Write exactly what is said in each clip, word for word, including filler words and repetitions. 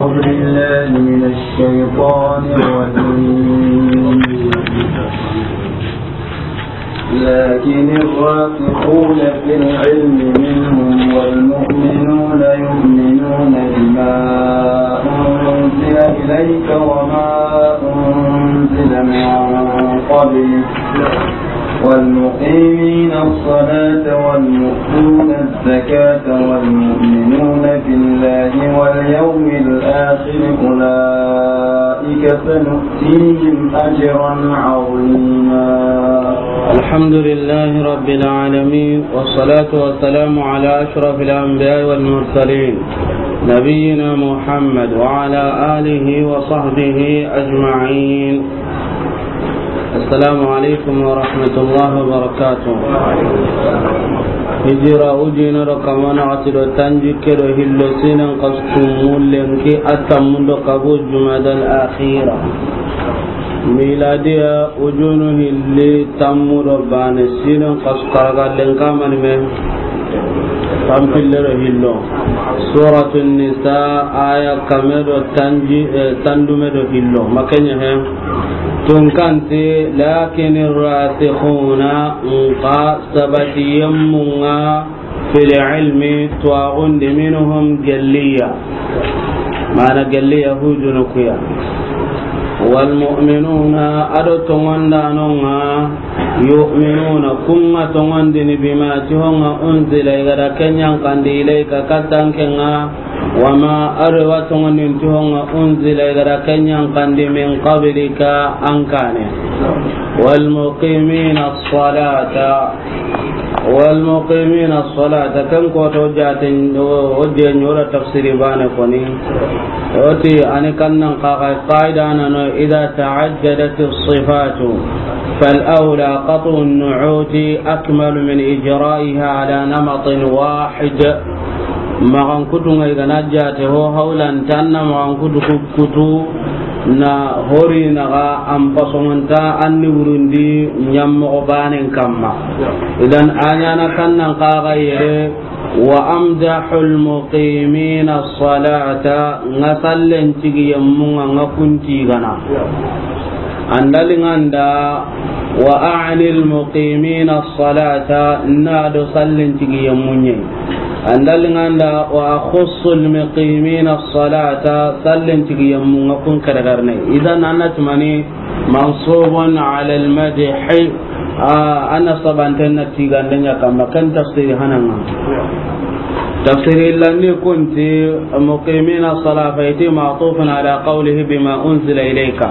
أعوذ بالله من الشيطان الرجيم. لكن الراسخون في العلم منهم والمؤمنون يؤمنون بما أنزل إليك وما أنزل من قبلك والمقيمين الصلاة والمؤتون الزكاة والمؤمنون بالله واليوم الآخر أولئك سنؤتيهم أجرا عظيما. الحمد لله رب العالمين، والصلاة والسلام على أشرف الأنبياء والمرسلين، نبينا محمد وعلى آله وصحبه أجمعين. Assalamu alaikum wa rahmatullahi wa barakatuh. Hijira ujina do kamana ati do tanjikke do hillo sinan kasu mullenki attamundo kabu Jumadal Akhira. Miladiya ujunu hilli tammu do bane sinan kasu karagallen kamani me. Tampille do hillo. Suratun Nisa aya kame do tanji, eh, tandume do hillo. Makanya he. Tunkanti, lakin rasikhuna, nka sabati yemmunga, fil ilmi, tuwagundi, minhum, gelliya. Mana gelli yahudunu kuya. Wal mu'minuna, ado tongondanonga, yu'minuna, kunga tongondini bima, tihonga, unzila, igada kenyan kandi, ilayka, katankenga, wama, ado wa tongondini tihonga, unzila, igada kenyan kandi, min qablika, ankane. Wal muqimina salata. Wal muqimina salata, kan ko to jaten o je nyora tafsiri bane koni. Oti ani kannan qaga qaida nano, idha ta'addadat as-sifatu fal awla qat'u an-nu'uti akmalu min ijra'iha ala namatin wahid. Magan kutu ngai gana jate ho hawlan tanna magan kutu ku-, kutu na hori naga an pasongonta an ni wurundi nyammogo banen kamma. Idan anyana kannan kaga yere, wa amdahul muqimina salata, nga sallen tigi yemmunga nga kunti gana. Andalinganda, wa a'nil muqimina salata, na do sallen tigi yemmunye. Andalinganda, wa akhussul muqimina salata, sallen tigi yemmunga kun karagarne. Idan anna tumani mansubun ala al-madhi, a, ana sabanten na tigandenya kamma kan tafsiri hananga. Tafsiri lani kunti muqimina salata fayti ma'tufun ala qawlihi bima unzila ilayka.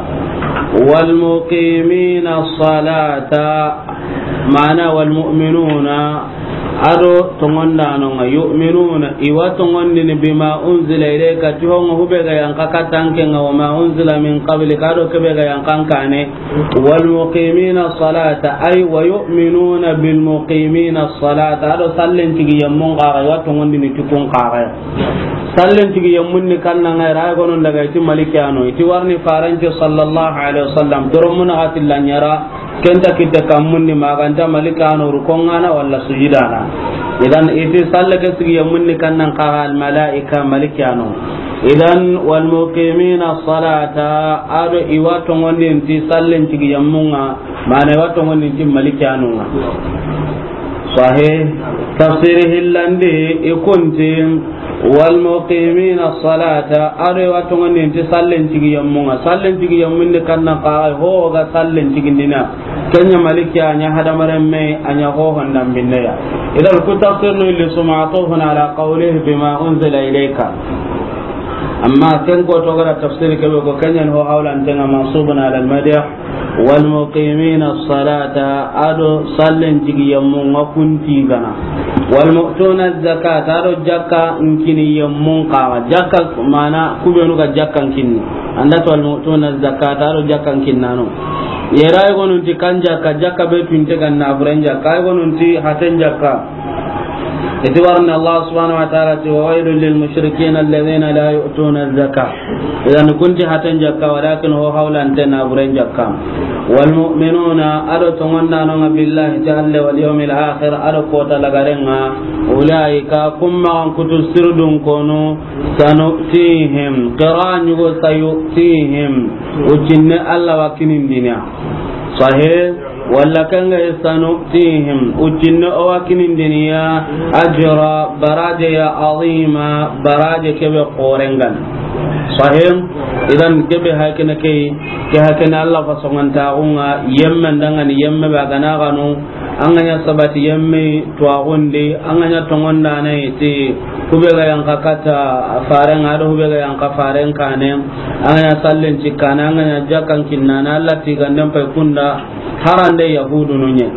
Wal muqimina salata, ma'ana wal mu'minuna, ado tongondanonga, yu'minuna, iwa tongondini bima unzila ilayka, tihonga hube ga yanka katankenga, wa ma unzila min qablika, ado kebe ga yankan kane, wal muqimina salata, ay wa yu'minuna bil muqimina salata, ado sallen tigi yemmun kaga, iwa tongondini tikun kaga. Sallen tigi yemmun ni kannanga ira gonon daga iti malikiyano, iti warni faranci sallallahu alaihi wasallam, doromuna gatilla nyara, kenta kitte kammundi maganta malikano rukongana walla sujidana. Idan iti salle ke sigi yemmunni kannan kaga al malaika malikano. Idan wal muqimina salata, ado iwa tongondinti sallen tigi yemmunga, mana iwa tongondinti malikanonga. Sahih. Tafsiri hillandi ikunti, wal muqimina salata, ado iwa tongondinti sallen tigi yemmunga. Sallen tigi yemmunni kannan kaga ho ga sallen tigindina. Kenya maliki a nya hadamaren me, a nya ho hondan binneya. Idan ku tafsir no illi suma atufun ala qawlihi bima unzila ilayka. Amma ken ko to gara tafsir ke be ko kenya ho hawlan tenga mansubun ala al madh. Wal muqimina salata, ado sallen tigi yemmunga kunti gana. Wal mu'tuna zakata, ado jakka nkini yemmun kaga. Jakka mana kubenu ga jakka nkinni. Anda to wal mu'tuna zakata, ado jakka nkinnano. Yera ay gonunti kan jakka, jakka be tunte ganna buren jakka, ay gonunti haten jakka. Iti warni Allah subhanahu wa ta'ala ti, "Wa waylun lil mushrikina alladhina la yu'tuna az-zaka." Idan kun ti haten jakka, walakin ho hawlante na buren jakka. Wal mu'minuna, ado tongonda no nga billahi ta'ala wal yawmil akhir, ado kota lagarenga, ulaika, kun maxan kutu sirdun konu, sanu'tihim, qira nyugo sayu'tihim, ucinne Allah wa kinindiniya. Sahih. Walla kanga, sanu'tihim, ucinne o wa kinindiniya, ajra, baraje ya, azima, baraje kebe xorengan. Sahih. Idan kebe hakene kei, ke hakene Allah fa songantaxunga, yemme ndangani yemme ba gana ganu, an ga ɲa sabati yemme tuwaxundi, an ga ɲa tongondana ti, hube ga yanka kata farenga, ado hube ga yanka faren kane, an ga ɲa sallen cikkana, an ga ɲa jakkan kinnana, Allah ti ganden pay kunda, harande yahudu no ɲe.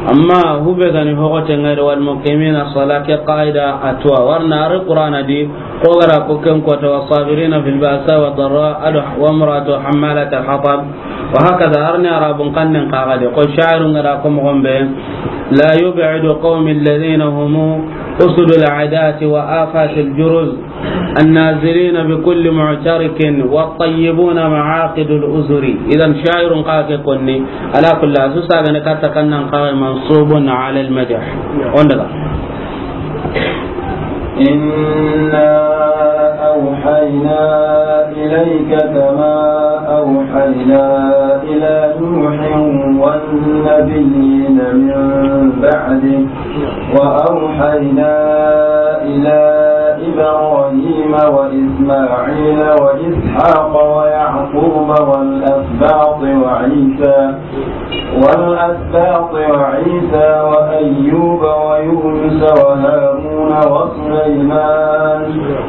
Amma hube gani hogote ngari, wal muqimina sala, ke qaida atwa warna ari Qur'ana di, ko gara ko ken kota, wa sabirina fil ba'sa wa darra, ado wa imra'atu hammalat al hatab, wa hakaza, arni arabun kannen kaga de, ko sha'irun gara ko mo gombe, la yub'idu qawmi alladhina hum usudul adati wa afatil juruz, النازلين بكل معترك والطيبون معاقد الأزر. Idan sha'irun kake konni, ala kulli, asu sagane katta kannan kaga mansubun ala al madh. Ondaga. إنا أوحينا إليك كما أوحينا إلى نوح والنبيين من بعده، وأوحينا إلى إبراهيم وإسماعيل وإسحاق ويعقوب والأسباط وعيسى والأسباط وعيسى وأيوب ويونس وهارون وسليمان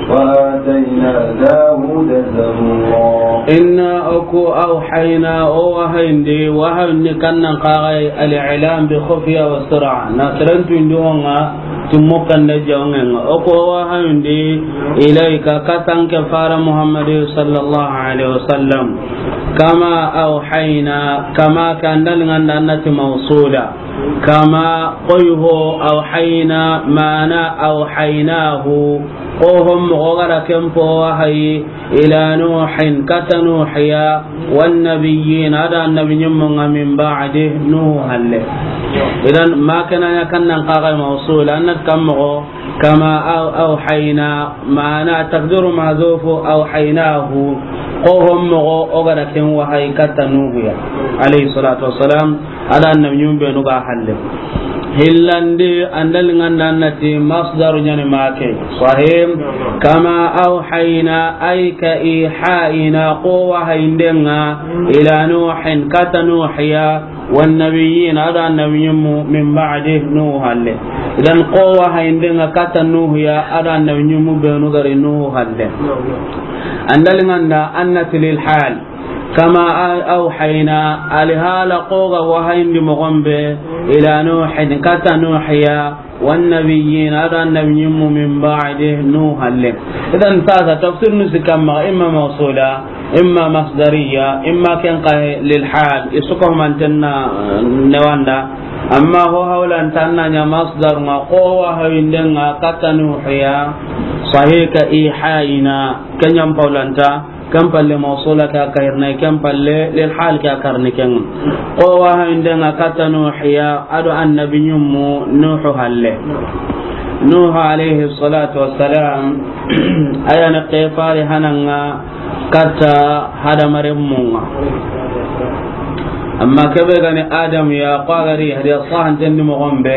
وآتينا داود زبورا. Inna, o ku, awhayna, o wahayindi, wahayindi kannan kaga al-i'lam bi khufiya wa sir'a. Na sirantu indi wonga, timmo kanda jawngenga. O ku wahayindi ilayka, katanke fara Muhammad sallallahu alaihi wasallam. Kama awhayna, kama kandal nganda annati mawsula. Kama, koyho, awhayna, mana awhaynahu, kohon mogo gara kempo wahayi, ila Nuhin, kata Nuhiya, wan nabiyyin, ada annabi nyimmunga, min ba'di, Nuhu halle. Idan, ma kana ya kannan kaga mawsul, annat kam mogo, kama aw-, awhayna, mana taqdiru mahzufu awhaynahu, kohon mogo o gara ken wahayi kata Nuhuya, alayhi salatu wassalam. Ada annabi nyum benu ga halle. Hillandi andal nganda annati masdaru nyani make. Sahim. Kama awhayna, ay ka ihaina, ko wahayindenga, ila Nuhin, kata Nuhiya, wan nabiyyin, ada annabi nyum min ba'di, Nuhu halle. Idan ko wahayindenga kata Nuhiya, ada annabi nyum benu gari Nuhu halle. Andal nganda annati lil hal. Kama a-, awhayna, alihala koga wahayindi mogombe, ila Nuhin, kata Nuhiya, wan nabiyyin, ada annabi nyimmu, min ba'di, Nuhu halle. Idan sasa tafsir nu sikkamma, imma mawsula, imma masdariya, imma ken kahe lil hal, isuka humantenna, eh, newanda. Amma ho hawlantanna nya masdar nga ko wahayindenga kata Nuhiya, sahika ihayna, kenyam paulanta. Ken palle mawsula ke a kahirna, ken palle lil hal ke a karni ken. Ko wahayindenga kata Nuhiya, ado annabi nyummu Nuhu halle. Nuhu alayhi salatu wassalam, ayana kefari hananga kata hadamarenmunga. Amma kebe gani Adam ya, ko a gari hadiya sahanten di mogombe,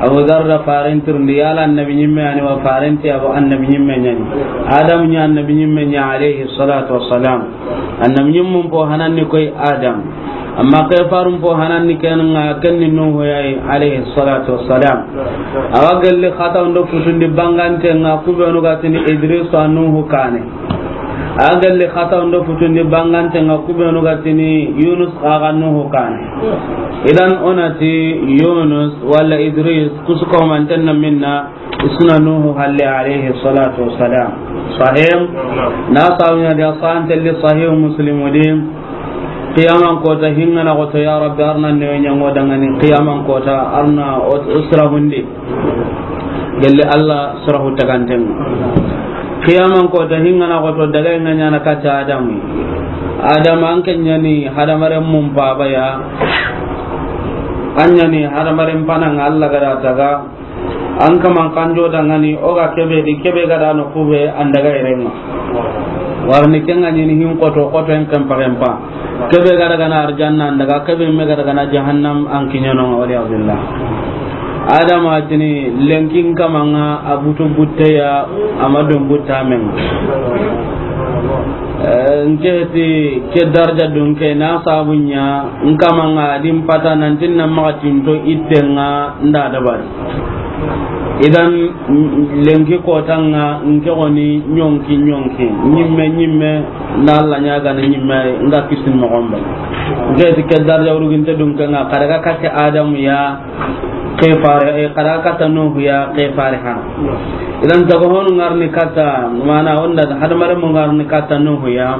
Abu Dharr da farentirndi, yala annabi nyimme ani wa farenti, abo annabi nyimme nyani. Adam nya annabi nyimme nya, alayhi salatu wassalam. Annabi nyimmun po hananni koy Adam. Amma kefarun po hananni ken nga, kenni Nuhu yayi, alayhi salatu wassalam. Awa gelli xata undo futundi bangante nga, kubenu gatini Idris wa Nuhu kane. A gelli xata undo futundi bangante nga, kubenu gatini Yunus xa ga Nuhu kane. Idan onati Yunus wala Idris, kusuko mantenna minna, isuna Nuhu halle alayhi salatu wassalam. Sahim. Na sawina dia santelli Sahih Muslim di. Qiyaman kota hingana goto, ya Rabbi, arna ne nyango dangani qiyaman kota, arna o-, usra hundi. Gelli Allah surahu taganten. Qiyaman ko ta hingana ko to daga nga ɲana kata Adam. Adam an ke ɲani hadamaren mun baba ya. An ɲani hadamaren panan Allah ga da taga. An kaman kanjo dangani o ga kebe di kebe ga da no kube an daga irenga. Warni kenga ɲini hin koto koto en kempa kempa. Kebe ga daga na arjanna an daga kebe me ga daga na jahannam an kiɲano wali billah. Adama tini lenkin kamanga a butu butteya a ma dun butta men. Eh, nke ti ke darja dun ke na sabunya nkamanga din pata nan tin na maga tinto ittenga nda dabari. Idan, mm, lenki kotanga nke goni ɲonki ɲonki, ɲimme ɲimme, na Allah ɲaga na ɲimme nga kisin mogombe. Nke ti ke darja uruginte dun kenga kadaga kake Adamu ya, ke fare, eh, kada kata Nuhu ya, ke fare hana. Idan tago honu ngarni kata, mana onda hadamare mo ngarni kata Nuhu ya.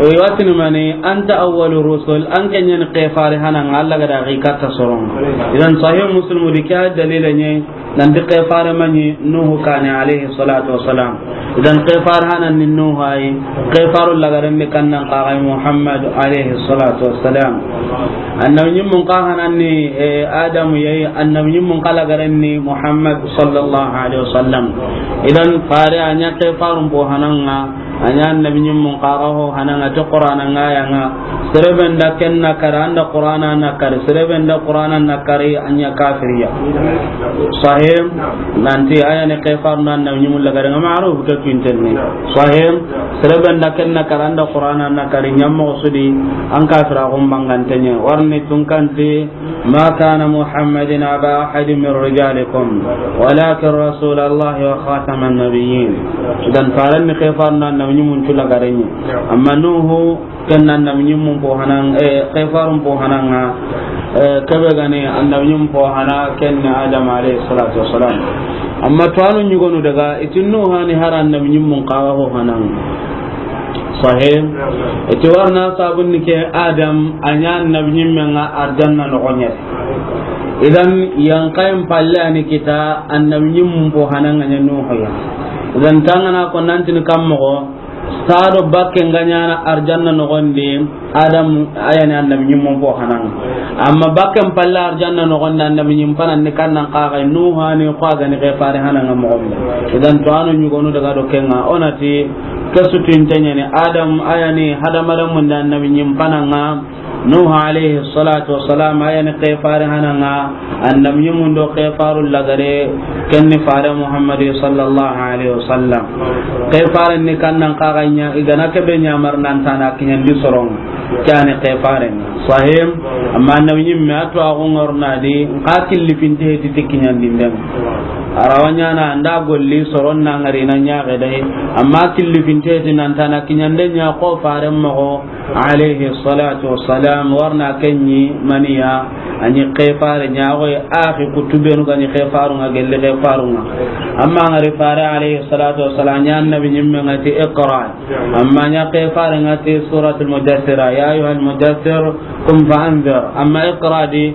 E watini mani, anta awwalu rusul, an ke ɲani ke fare hana nga Allah ga da gi kata soron. Idan sahih Muslim di ka dalila ne, nan di ke fare mani Nuhu kane alayhi salatu wassalam. Idan ke fare hana ni Nuhu ay, ke faru lagaren ni kannan qaray Muhammad alayhi salatu wassalam. Annabi ɲimmun ka hanan ni, eh, Adamu yayi, annabi ɲimmun ka lagaren ni Muhammad sallallahu alaihi wasallam. Idan fare anya ke farun bo hananga, anya annabi ɲimmun ka ga ho hananga to Qur'ana nga yanga. Sereben da kenna kara anda Qur'ana na kari, sereben da Qur'ana na kari anya kafiriya. Sahih, nanti aya ne ke farun annabi ɲimmun lagaren nga ma'ruf ke kinten ni. Sahih, sereben da kenna kara anda Qur'ana na kari ɲammo sudi an kafira gum bangantenye. Warni tunkanti, ما كان محمد أبا أحد من رجالكم ولكن رسول الله وخاتم النبيين. Idan faren ni ke farun annabi ɲimmun tula garenye. Amma Nuhu ken annabi ɲimmun po hanan, eh, ke farun po hananga, eh, kebe gani annabi ɲimmun po hana ken ni Adam alayhi salatu wassalam. Amma to anu ɲugonu daga itin Nuhu hani har annabi ɲimmun ka ga ho hanan. Sahih. Iti warna sabun ni ke Adam anya annabi ɲimme nga arjanna no gonya. Idan yankayin palle ani kita annabi ɲimmun po hananga nya Nuhu ya. Idan tangana ko nanti ni kammo sado bakke nga ɲana arjanna no gondi Adam ayani annabi ɲimmun po hananga. Amma bakken palle arjanna no gondi annabi ɲim panan ni kannan ka ga Nuhu ani ko ga ni ke fare hananga mo gombe. Idan to anu ɲugonu daga do kenga onati Kesutu intenya ni Adam ayani hadamaren mun da annabi ɲim pananga Nuhu alayhi salatu wassalam ayani ke fare hananga annabi ɲim mun do ke faru lagare kenni fare Muhammad sallallahu alayhi wasallam. Ke fare ni kannan kaganya igana kebe nyamar nan tana kinyandi soron kani ke fare. Sahim, amma annabi ɲimme a to a go ŋorna di, nka killi finte heti ti kiɲandi ndem. Arawanya na anda golli soron na ngari na ɲaxe dai, amma killi finte heti nan tana kiɲande ɲa ko faren moxo, alayhi salatu wassalam, warna kenɲi maniya, a ɲi ke fare ɲa xo axi kutubenu ga ɲi ke faru nga gelli ke faru nga. Amma ngari fare alayhi salatu wassalam ɲa annabi ɲimme nga ti iqra. Amma ɲa ke fare nga ti suratul Mudaththir, ya ayyuhal mudaththir, qum fa anzir. Amma iqra di,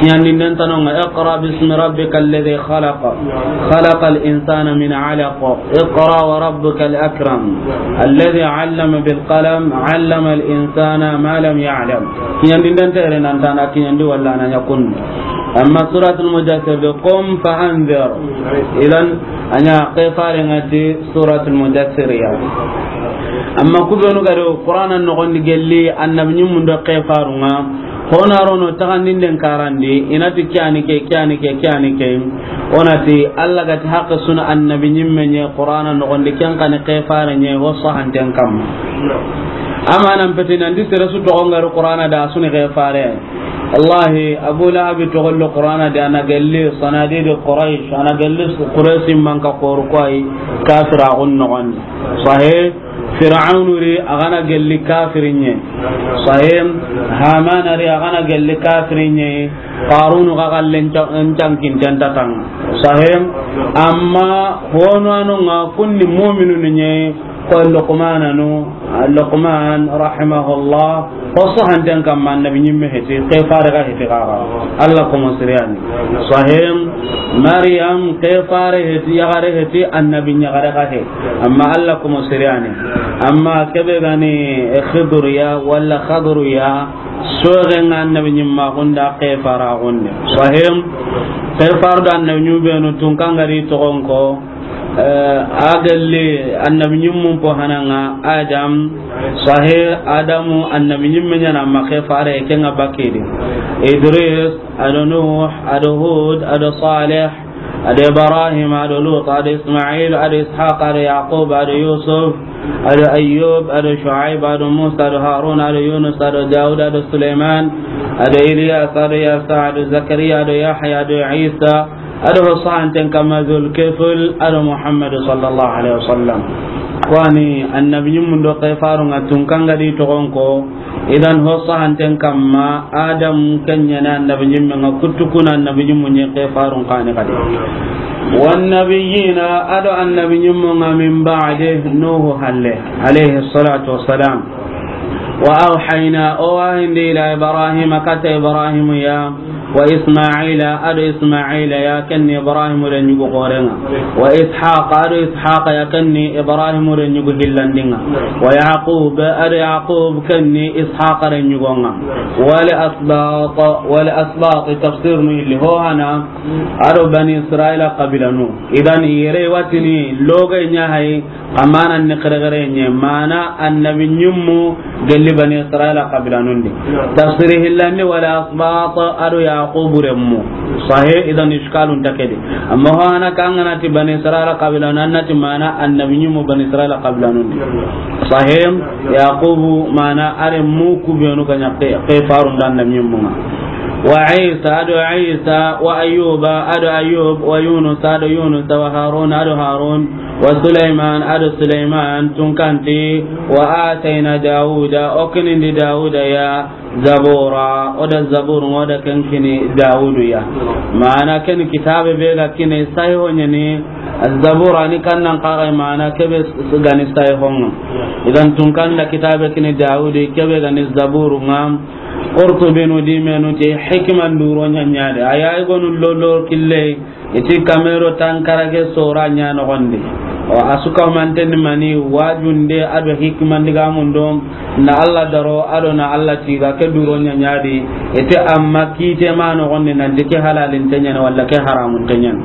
kiɲandinden tano nga, iqra bismi rabbikal ladhi khalaq, khalaqal insana min alaq, iqra wa rabbukal akram, alladhi allama bil qalam, allamal insana ma lam ya'lam. Kiɲandinden tere nan tana kiɲandi walla na ɲa kun. Amma suratul Mudaththir de, qum fa anzir. Idan, a ɲa ke fare nga ti suratul Mudaththir ya. Amma kubenu gado Qur'ana noxondi gelli annabi ɲimmun do ke faru nga. Hona rono taxandinden karandi, inati kiyani ke, kiyani ke, kiyani ke. Onati Allah gati haqqe suna annabi ɲimme ɲe Qur'ana noxondi ken kani ke fare ɲe ho sahanten kamma. Amanan peti nandi sere su toxo ngari Qur'ana da suni ke fare. Wallahi, Abu Lahabi toxollo Qur'ana di, a na gelli sanadidi Quraysh, a na gelli Quraysh manka koru koy kafira gun noxon. Sahih, Fir'aunu ri, a ga na gelli kafirinye. Sahih, Hamana ri, a ga na gelli kafirinye. Qarunu ga gallen ca-, cankinten tatanga. Sahih, amma hono anu nga kunni mu'minunu nye, ko Luqmananu, Luqman rahimahullah, Xoso hanten kamma annabi ɲimme heti, ke fare ga heti gaga. Alla komo siriyani. Sahim, Maryam ke fare heti, yagare heti, annabi ɲagare ga he. Amma Alla komo siriyani. Amma kebe gani, eh, Khidriya wala Khadriya, soge nga annabi ɲimma gunda ke fara gunde. Sahim, ke far da annabi ɲubenu tun kangari togonko, Eh, a gelli annabi ɲimmun po hananga, Adam, sahe, Adamu, annabi ɲimme ɲana ma ke fare, ke nga bakidi. Idris, ado Nuh, ado Hud, ado Saleh, ado Ibrahim, ado Lut, ado Ismail, ado Ishaq, ado Yaqub, ado Yusuf, ado Ayyub, ado Shuaib, ado Musa, ado Harun, ado Yunus, ado Daud, ado Sulaiman, ado Ilyas, ado Yasa, ado Zakariya, ado Yahya, ado Isa, ado ho sahanten kamma Zulkifl, ado Muhammadu sallallahu alaihi wasallam. Kwani annabi ɲimmun do ke farun nga tun kangadi togonko, idan ho sahanten kamma Adam kenyana annabi ɲimmen nga, kuttu kuna annabi ɲimmun ɲe ke farun kani kadi. Wan nabiyina, ado annabi ɲimmun nga min ba'di, Nuhu halle, alayhi salatu wassalam. Wa awhayna, o wahindi ila Ibrahima, kata Ibrahimu ya, wa Ismaila, ado Ismaila ya, kenni Ibrahimu re ɲugu xorenga. Wa Ishaq, ado Ishaq ya, kenni Ibrahimu re ɲugu hillandinga. Wa Yaqub, ado Yaqub, kenni Ishaq re ɲugonga. Wal asbaq, wal asbaq, tafsir nu illi ho hana, ado Bani Israila qabilanu. Idan yere watini loge ɲa hay, amana ni xeregere ɲe, mana annabi ɲimmu gelli Bani Israila qabilanundi. Tafsiri hillandi wala asbata, ado Yaqubu remmu. Sahe, idan ishkalun takedi. Amma ho ana kangana ti Bani Israila qabilanu, annati mana annabi ɲimmu Bani Israila qabilanundi. Sahe, Yaqubu mana aremmu kubenu kanya ke, ke farun dan annabi ɲimmu nga. Wa Isa, ado Isa, wa Ayyuba, ado Ayyub, wa Yunus, ado Yunus, wa Harun, ado Harun, wa Sulaiman, ado Sulaiman, tunkanti, wa atayna Dawuda, o kinindi Dawuda ya, Zabura, o da Zabur, o da kenkini Dawudu ya. Mana ken kitabe be ga kine sahiho ɲani, Zabura ni kannan kaga mana kebe gani sahihonga. Idan tunkanda kitabe kini Dawudu, kebe gani Zaburu nga, Qurtubi nu di menu ti hikima nduro ɲaɲade. Aya igonu lolo kille, iti kamero tankarage sora ɲa nogondi. O asuka manten mani wajunde ado hikima ndiga mundo na Allah daro ado na Allah tiga ke duro ɲaɲadi. Iti amma kite ma nogondi nanti ke halalin tenyana wala ke haramun tenyana.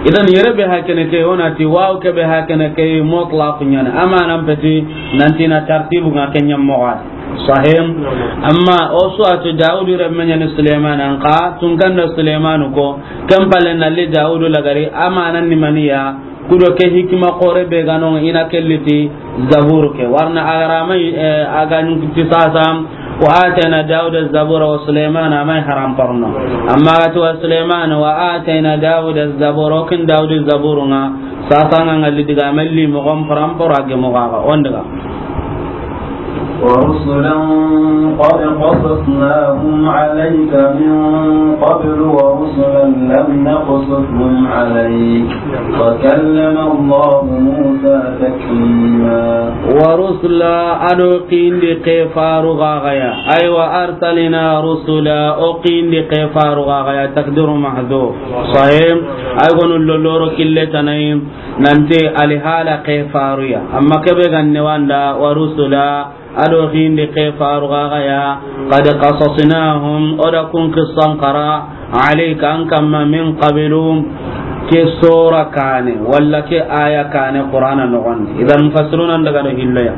Idan yere be hakene ke onati waw ke be hakene ke mutlaq ɲana. Amanan peti nanti na tartibu nga kenyam mogad. Sahim. Amma o suwatu Dawudu remme ɲani Suleiman an ka, tunkanda Suleiman ko, ken pale nalli Dawudu lagari, amanan ni maniya, kudo ke hikima kore be ganon ina kelliti Zabur ke. Warna agarama, eh, agan ti sasa, wa atayna Dawuda Zabura wa Suleiman amai haram parno. Amma gati wa Suleiman wa atayna Dawuda Zabura, kin Dawudu Zabur nga, sasa nga ngalli diga melli mo gom param pora ge mo gaga, on daga. ورسلا قد قصصناهم عليك من قبل ورسلا لم نقصصهم عليك وكلم الله موسى تكليما. ورسلا ado kindi ke faru gagaya. Aywa, arsalna rusula, o kindi ke faru gagaya. Takdiru mahdhuf. Sahim. Ay gonu loloro kille tanay. Nanti alihala ke faruya. Amma kebe ganne wanda wa rusula, ado hindi ke faru gagaya, qad qasasnahum, oda kun qissan qara, alayka, an kamma, min qabilu, ke sura kane, wala ke aya kane Qur'ana nogon. Idan mufassiruna daga do hilloya.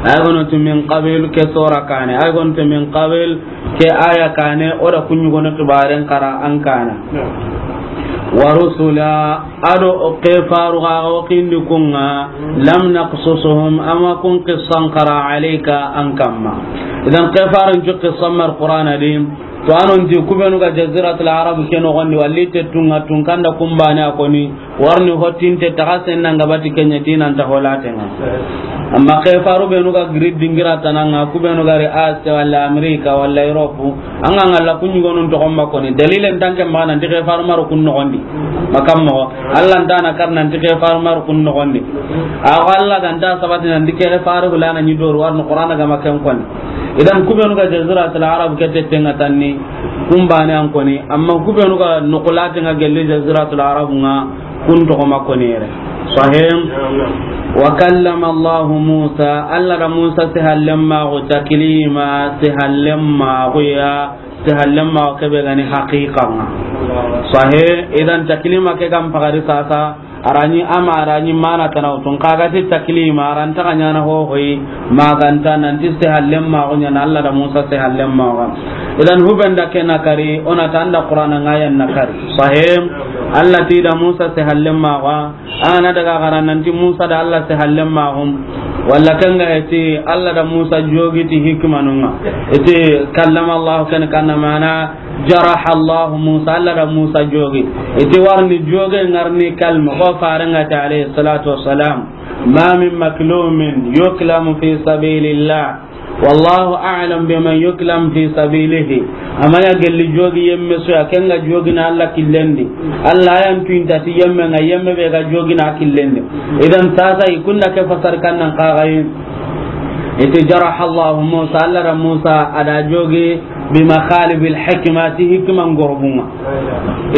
Ay gono tu min qabil ke sura kane, ay gono tu min qabil ke aya kane, oda kunyugono tubaren qara an kana. Wa rusula, ado ke faru ga o kindi kunga, lam naqsusuhum, ama kun qissan qara alayka an kamma. Idan ke farun ju qissan mar Qur'ana di, To, a na ti ku benu ga Jaziratul Arab ke noxon di, walla i te tunŋa, tunkanda ku baane a koni, warni hottinte taxa senna nga bati ken ɲa ti nan ta holaten ŋa. Amma ke faru benu ga giri dingira tana ŋa, ku benu ga ri Asia walla Amerika walla Europe, an ga ŋalla ku ɲugonun toxon ma koni. Dalilen tanke ma nan ti ke faru maru kun noxon di. Makam mo, Allah nta na kar nan ti ke faru maru kun noxon di. A ko Allah ga nta sabati nan ti ke faru hulana ɲi doru warni Qur'ana ga ma ken koni. Idan ku benu ga Jaziratul Arab ke te tenŋa tanni, ku baane an koni, amma ku benu ga noxu laten ŋa gelli Jaziratul Arab ŋa, kun toxo ma koni yere. Sahih. Wa kallama Allah Musa, Allah da Musa sehallen maxu taklima, sehallen maxu ya, sehallen maxu ke be ga ni haqiqa ŋa. Sahih. Idan taklima ke ga mpagari sasa, a ra ɲi ama, a ra ɲi mana tana wutun. Xa ga ti taklima, a ra nta ga ɲaana hohoyi, ma ga nta nan ti sehallen maxu ɲaana, Allah da Musa sehallen maxu. Idan hube nda ke na kari, o na ta an da Qur'ana ŋa yan na kari. Sahih. Allah ti da Musa sehallen maxu. A na daga xara nan ti Musa da Allah sehallen maxu. Walla ken ga ti Allah da Musa jogi ti hikmanun ŋa. I ti kallama Allah ken kanna mana jaraha Allah Musa, Allah da Musa jogi. I ti warni joge ŋa ri ni kalma ko faren ŋa ti alayhi salatu wassalam, ma min maklumin yuklamu fi sabilillah, wallahu a'lam biman yuklamu fi sabilihi. A ma ɲa gelli jogi yemme su ya, ken ga jogi na Allah killen di. Allah yan tuinta ti yemme ŋa, yemme be ga jogi na killen di. Idan sasa i kun da ke fasar kannan xa ga yi. I ti jaraha Allah Musa, Allah da Musa a da jogi bi makhalibil hikmati, hikman gorbun ŋa.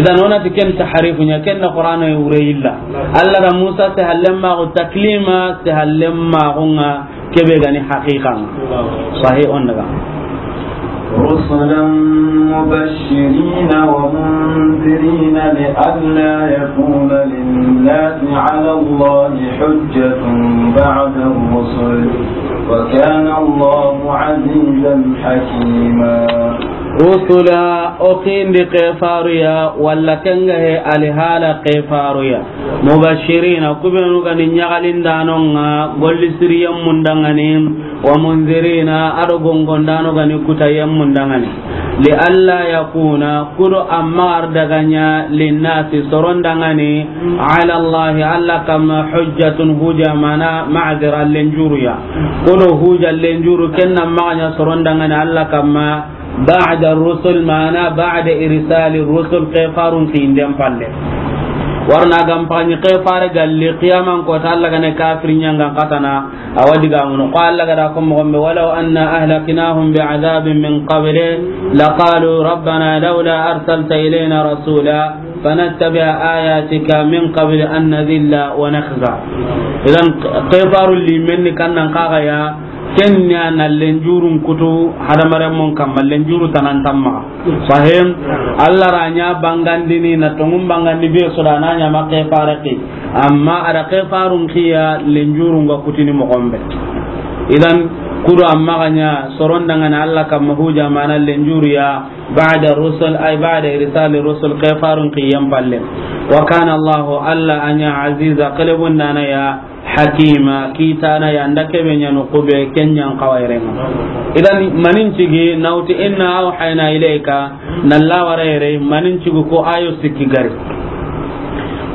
Idan o na ti ken tahrifu ɲa, ken na Qur'ana wure yilla. Allah da Musa sehallen maxu taklima, sehallen maxu ŋa ke be ga ni haqiqa ŋa. Sahih, on daga. رسلا مبشرين ومنذرين لئلا يكون للناس على الله حجة بعد الرسل وكان الله عزيزا حكيما. Rusula, o xindi ke faru ya, walla ken ga he alihala ke faru ya. Mubashirina, ku benu ga ni ɲaxalindanon ŋa, golli siriyen mundaŋani, wa munzirina, a do gongondano ga ni kutayen mundaŋani. Li alla yakuna, ku do amma ar daga ɲa, linnasi, soron daŋani, ala Allahi, Alla kamma, hujjatun, hujja, mana, ma'zira, lenjuruya. Ku do hujja lenjuru, ken na maxa ɲa soron daŋani Alla kamma, ba'da rusul, mana ba'da irsali rusul, ke farun kinden palle. Warna gam paɲi ke fare galli qiyaman ko ta Alla gane kafir ɲangan katana, awa diga mun ko Alla gada ko mo gombe, walaw anna ahlaknahum bi'adabin min qabli laqalu rabbana lawla arsalta ilayna rasula fanattabi'a ayatika min qabli an nadhilla wa nakhza. Idan ke faru limen ni kannan kaga ya, Ken ɲa na lenjurun kutu hadamaren mun kamma, lenjuru tanan tamma. Sahim, Alla ra ɲa bangandini na tongun bangandi be sodana ɲa ma ke faraki. Amma ada ke farun kiya lenjurun ga kutini mo gombe. Idan ku do amma ga ɲa soron daŋani Alla kamma hujja mana lenjuru ya ba'da rusul, ay ba'da irsali rusul, ke farun kiyan palle. Wa kana Allahu, Alla a ɲa aziza, kelebun dana ya, Hakima, kitana ya nda kebe ɲa no kube ken ɲan kawairenga. Idan manin cigi nawti inna awhayna ilayka, na lawara yere manin cigi ko ayo sikki gari.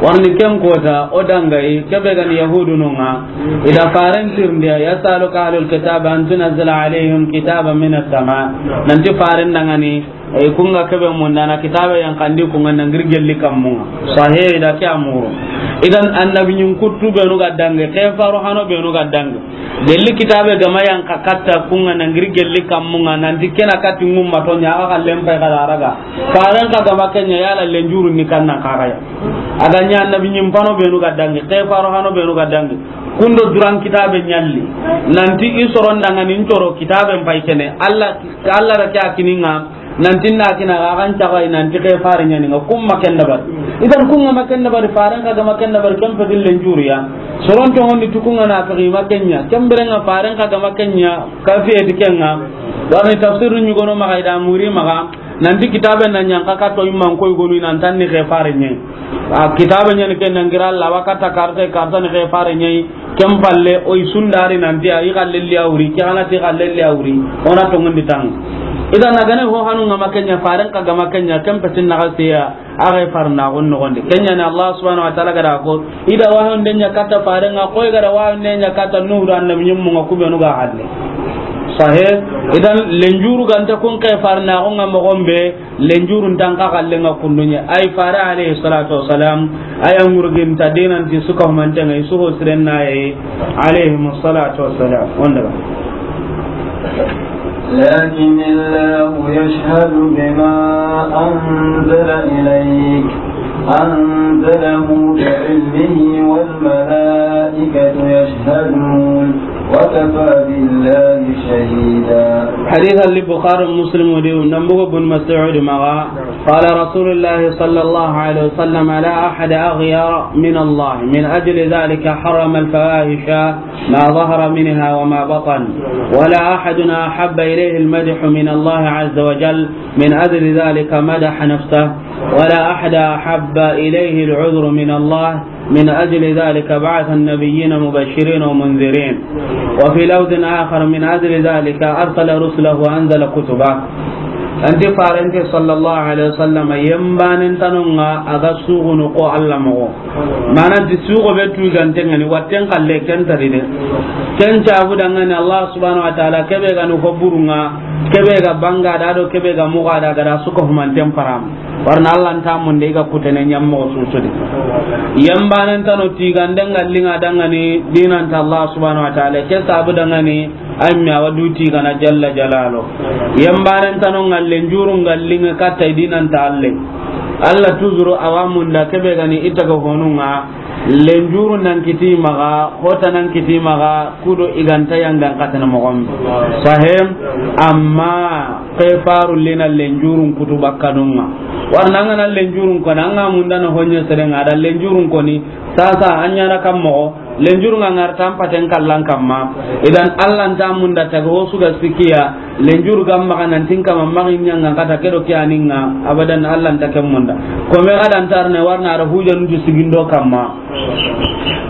Warni ken kota o dangayi kebe gani yahudu nonga. Ida faren tirndiya, yasaluka ahlul kitab an tunzila alayhim kitaban minas sama. Nanti faren dangani, e, kunga kebe mundana kitabe yan kandi kunga nangir gelli kammunga. Sahe da ke amuru. Idan annabi ɲin kuttu benu ga dange, ke faro hano benu ga dange. Gelli kitabe gama yan ka katta kunga nangir gelli kammunga, nanti kena katti ngumma to ɲa ga kallen pay kala raga. Faren ka gama kenya yala lenjuru ni kanna kagaya. Aga ɲa annabi ɲin pano benu ga dange, ke faro hano benu ga dange. Kundo duran kitabe ɲalli. Nanti i soron dangani ncoro kitabe pay kene. Alla, Alla ra ke akininga. Nanti na kina ga kan cagai nanti ke fare ɲani nga kumma ken dabari. Idan kunga ma ken dabari, faren ka gama ken dabari, ken pe dille njuriya. Soron to ngondi tukunga na to ma kenya. Ken berenga faren ka gama kenya, ka fiye dikenga. Warni tafsir ɲugono maga ida muri maga. Nanti kitabe na ɲan ka kato imman koy gonu nan tanni ke fare ɲe. A kitabe ɲani ken nangira Alla wakata karte karta ni ke fare ɲe. Ken palle, o i sundari nanti a i xallelli a wuri, ke xana ti xallelli a wuri, o na tongundi tang. Idan, a ga na ho hanu ŋa ma ken ɲa, faren xa ga ma ken ɲa, ken petin na ga siya, a ga farna gon no gonde. Ken ɲa ni Allah subhanahu wa ta'ala ga da ko, i da wahun de ɲa katta faren ŋa, ko i ga da wahun de ɲa katta Nuhu do annabi ɲimmu ŋa, ku be nu ga halle. Sahih. Idan, lenjuru ga nta kun ke farna gon ŋa mo gombe, lenjurun tan ka kallen ŋa kundu ɲa. Ay fare alayhi salatu wassalam, aya ŋurgin ta dinan ti su ka humanten ŋa, i su ho siren na yi, alayhi salatu wassalam. Wanda ba. لكن الله يشهد بما أنزل إليك، أنزله بعلمه والملائكة يشهدون، وكفى بالله شهيدا. حديث البخاري ومسلم وديو نبوغ بن مسعود مغا. قال رسول الله صلى الله عليه وسلم: لا أحد أغير من الله، من أجل ذلك حرم الفواحش ما ظهر منها وما بطن، ولا أحد أحب إليه المدح من الله عز وجل، من أجل ذلك مدح نفسه، ولا أحد أحب إليه العذر من الله، من أجل ذلك بعث النبيين مبشرين ومنذرين. وفي لفظ آخر: من أجل ذلك أرسل رسله وأنزل كتبه. Anti farante sallallahu alaihi wasallam, yembanen tanonga aga sugunu ko Allah mogo. Mana ti sugo be tu gantengani, watten kalle ken tari de. Ken cabu dangani Allah subhanahu wa ta'ala, kebe gani ko burunga, kebe ga banga da do, kebe ga muga da, ga da suko humanten param. Warna Allah nta munde ga kutene nyammo susudi. Yembanen tano tigande ngallinga dangani dinanta Allah subhanahu wa ta'ala, ke sabu dangani, ay mi awa duti gana jalla jalalo. Yembanen tano ngallen juru ngallinga katta dinanta Allah. Allah tuzuru awa munda kebe gani itaga honunga. Lenjuru nan kiti maga, hota nan kiti maga, kudo iganta yangan katana mogom. Sahem, amma kefaru lina lenjurun kutu bakkanunga. Warna ngana lenjurun kona, anga mundana honye serenga, da lenjurun koni, sasa anyana kam mogo, lenjurun ngar tampaten kallan kamma. Idan Allah nta munda taga hosu ga sikiya, lenjuru gam maga nan tin kama magin nyanga kata kedo kiyaninga, abadan Allah nta ken munda. Ko me gadan tarne warna ara hujanu sigindo kamma.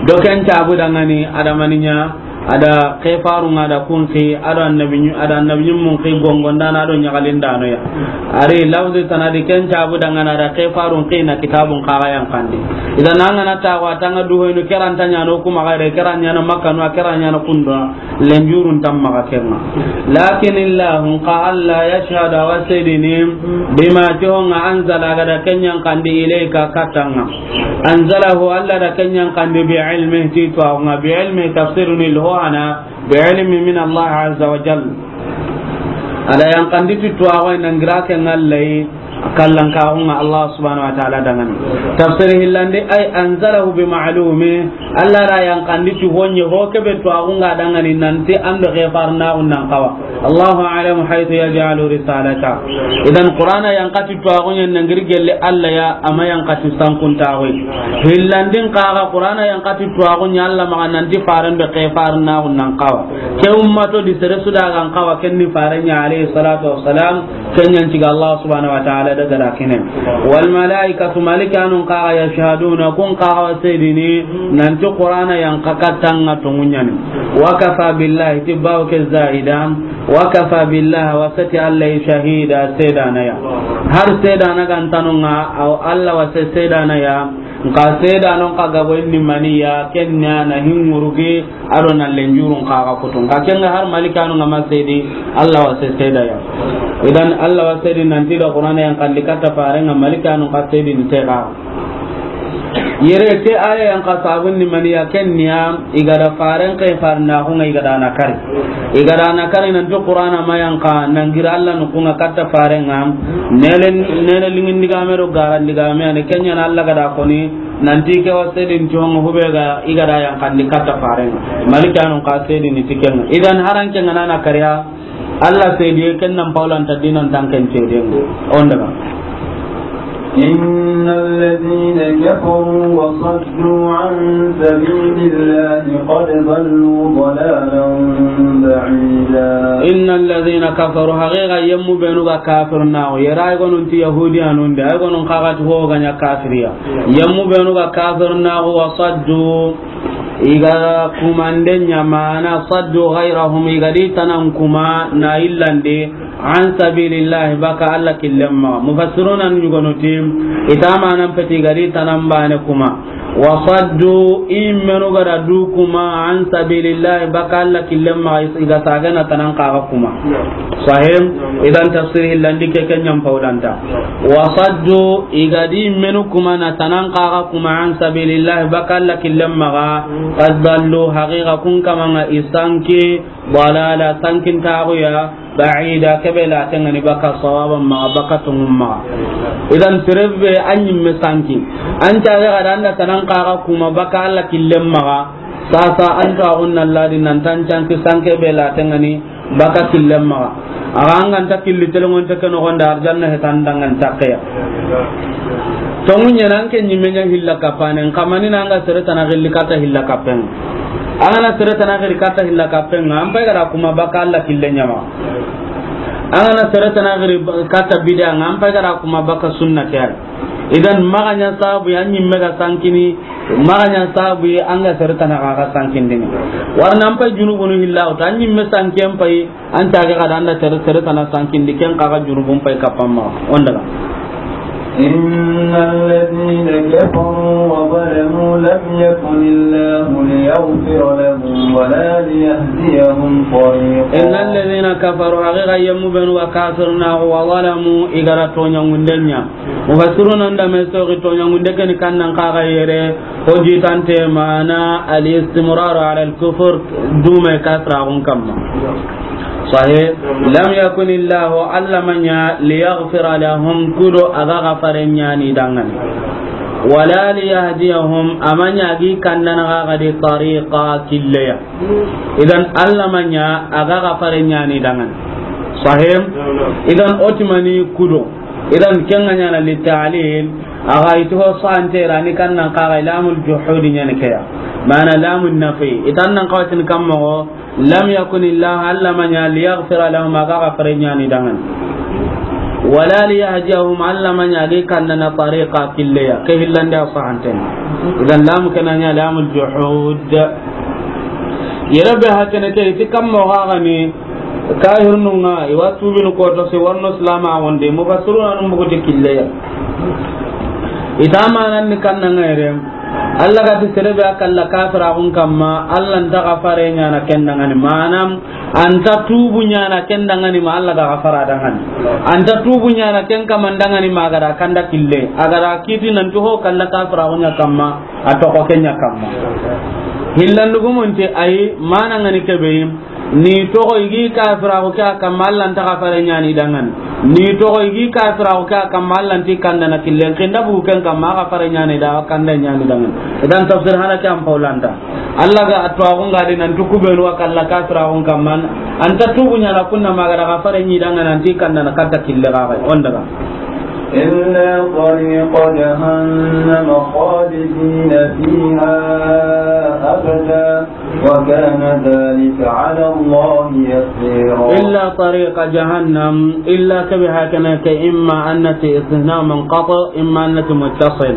Do ken cabu dangani adamaninya, ada kefarunga da kunki, ada annabi nyu-, ada annabi mun ki gongondana do nyagalindano ya. Ari lafzi tanadi ken cabu dangana da kefarun kina kitabun kaga yankandi. Idan angana tawa tanga duhoyno kerantanya no kuma gare keranya no Makka no keranya no kundo. Lenjurun tamma ga kenga. Lakin Illahu ka Allah yashhadu wa sayyidini bima tihonga anzala gada kenyan kandi ilayka katanga. Anzalahu Allah da kenyan kandi bi ilmi ti tuwaxunga bi ilmi tafsiruni lho ana bi ilmi min Allah azza wa jal. Ada yang kandi ti tuwaxu nangira kenga lay. Kallan kaxunga Allah subhanahu wa ta'ala dangani. Tafsir hillandi ay anzalahu bi ma'lumi. Allah ra yankandi ti honye ho kebe tuwaxunga dangani nanti ando xefarnaxu nan kawa. Allahu a'lamu haythu yaj'alu risalata. Idan Qur'ana yankati tuwaxunye nangiri gelle Allah ya ama yankati sankuntaxu. Hillandin kaxa Qur'ana yankati tuwaxunye Allah maxa nanti faren be xefarnaxu nan kawa. Ke ummato di sere sudagan kawa kenni farenya alayhi salatu wassalam. Kenyan ciga Allah subhanahu wa ta'ala daga da kine. Wal malaikatu, malikanun kaga yashhaduna, kun kaga wa sayyidini, nanti Qur'ana yan kakatanga tungunyani. Wa kafa billahi, tibbaw ke zaida, wa kafa billahi, wa sati Allah shahida, sedana ya. Har sedana gantanunga, aw Allah wa se sedana ya, nka sedanon ka gabo inni maniya, kenya na hingurugi, Ado na lenjurun kaga kutun. Ka kenga har malikanu nga ma sedi, Allah wa se seda ya. Idan Allah wa sedi nanti da Qur'ana yan kandi katta faren nga malikanu ka sedi ni tega. Yere ke aya yan ka sabun ni maniya ken niya, igada faren ke farna ko nga igada na kari. Igada na kari nanti Qur'ana ma yan ka nangira Allah nu kunga katta faren nga. Nele, nele lingin diga me do garan diga me ne kenya na Allah gada koni. Nanti ke wa sedin ti hongo hube ga igada yan kandi katta faren. Malikanu ka sedin ni tiken. Idan haran ke ngana na kariya. Allah sedi ken nan paulan ta dinan tanken sedi. Onda ba. إن الذين كفروا وصدوا عن سبيل الله قد ضلوا ضلالا بعيدا. إن الذين كفروا, haqiqa yemmu benu ga kafir na, yera ay gonun ti yahudiyanun de, ay gonun kaga ti ho ganya kafiriya. Yemmu benu ga kafir na, wa saddu, I ga kumanden ɲa mana saddu ghayrahum, i ga di tanan kuma na illandi, an sabilillahi, baka Alla killen maxa. Mufassiruna ɲugonu ti, i ta manan peti i ga di tanan bane kuma. Wa saddu, i menu ga da du kuma, an sabilillahi, baka Alla killen maxa, i ga sagana tanan kaga kuma. Sahih? Idan tafsir hillandi ke ken ɲan paulanta. Wa saddu, i ga di menu kuma na tanan kaga kuma, an sabilillahi, baka Alla killen maxa, qad dallu, haqiqa kun kamanga i sanki, dalala, sankintaxuya, ba'ida, kebe la tengani baka sawaban maxa, baka tungun maxa. Idan sere be an ɲimme sanki, an caga ga da an da tanan kaga kuma baka Alla killen maxa, sasa an to agun na ladi nan tan canki sanke be la tengani baka killen maxa. Axa an ga nta killi telongonte ke noxonde, arjanna hetan dangan takkeya. Tongu ɲana an ke ɲimme ɲa hilla kappanen, kamani na an ga sere tana gilli katta hilla kappen. An ga na sere tana giri katta hilla kappen, an pay ga da kuma baka Alla killen ɲa maxa. An ga na sere tana giri katta bida, an pay ga da kuma baka sunna ke ay. Idan maxa ɲa sabu ya ɲimme ga sankini, maxa ɲa sabu ya an ga sere tana ga sankindini. Warna an pay junubunu hilla wuta, an ɲimme sanken pay, an caga ga da an da sere, sere tana sankindi, ken kaga junubun pay kappan maxa. On daga. إن الذين كفروا وظلموا لم يكن الله ليغفر لهم ولا ليهديهم طريقا. إن الذين كفروا, haqiqa yemmu benu ga kafirna, wa zalamu, i ga da toɲangunden ɲa. Mufassiruna nda me soxi toɲangunde ke ni kannan kaga yere, ho jitante mana al-istimrar ala al-kufr, dume kafiraxun kamma. Sahih. Lam yakun Illahu, Alla ma ɲa, liyaghfira lahum, kudo a ga gafare ɲani dangani. Wala liyahdiyahum, a ma ɲa a gi kandana ga ga di tariqa killeya. Idan Alla ma ɲa a ga gafare ɲani dangani. Sahih. Idan otimani kudo. Idan ken ga ɲana li ta'lil, a ga iti ho sante rani kannan kaga lamul juhudi ɲani keya. Mana lamun nafi. Itan nan kawatin kamma go, lam yakun Illahu, Alla ma ɲa, liyaghfira lahum, a ga gafare ɲani dangani. Wala liyahdiyahum, Alla ma ɲa a gi kandana tariqa killeya. Ke hillande a sahanten. Idan lamu ke na ɲa lamul juhud. Yere be hakene ke iti kamma go ga ni, kahirnun ŋa, i wa tubinu koto se warno silama wonde, mufassiruna nun buguti killeya. Ita manan ni kannan ŋa yere, Alla ga ti sere be a kalla kafiraxun kamma, Alla nta gafare ɲana ken dangani. Mana, anta tubu ɲana ken dangani ma Alla ga gafara dangani. Anta tubu ɲana ken kaman dangani ma a ga da kanda kille. A ga da kiti nan ti ho kalla kafiraxun ɲa kamma, a toxo ken ɲa kamma. Hillandugumunti ayi, mana ŋa ni kebe yi, ni toxo i gi kafiraxu ke a kamma, Alla nta gafare ɲani dangani. Ni toxo i gi kafiraxu ke a kamma, Alla nti kandana killen. Ken da bugu ken kamma, a gafare ɲani da, kanda ɲani dangani. Idan tafsir hana ke an paulanta. Alla ga a tuwaxun ga di nan ti kubenu wa kalla kafiraxun kamma, anta tubu ɲana kunna ma a ga da gafare ɲi dangani, anti kandana katta kille ga ga. On daga. إلا طريق جهنم خالدين فيها أبدا وكان ذلك على الله يسيرا. إلا طريق جهنم، إلا كبه هكذا، إما أن نأتي استثناء منقطع، إما أن نأتي متصل.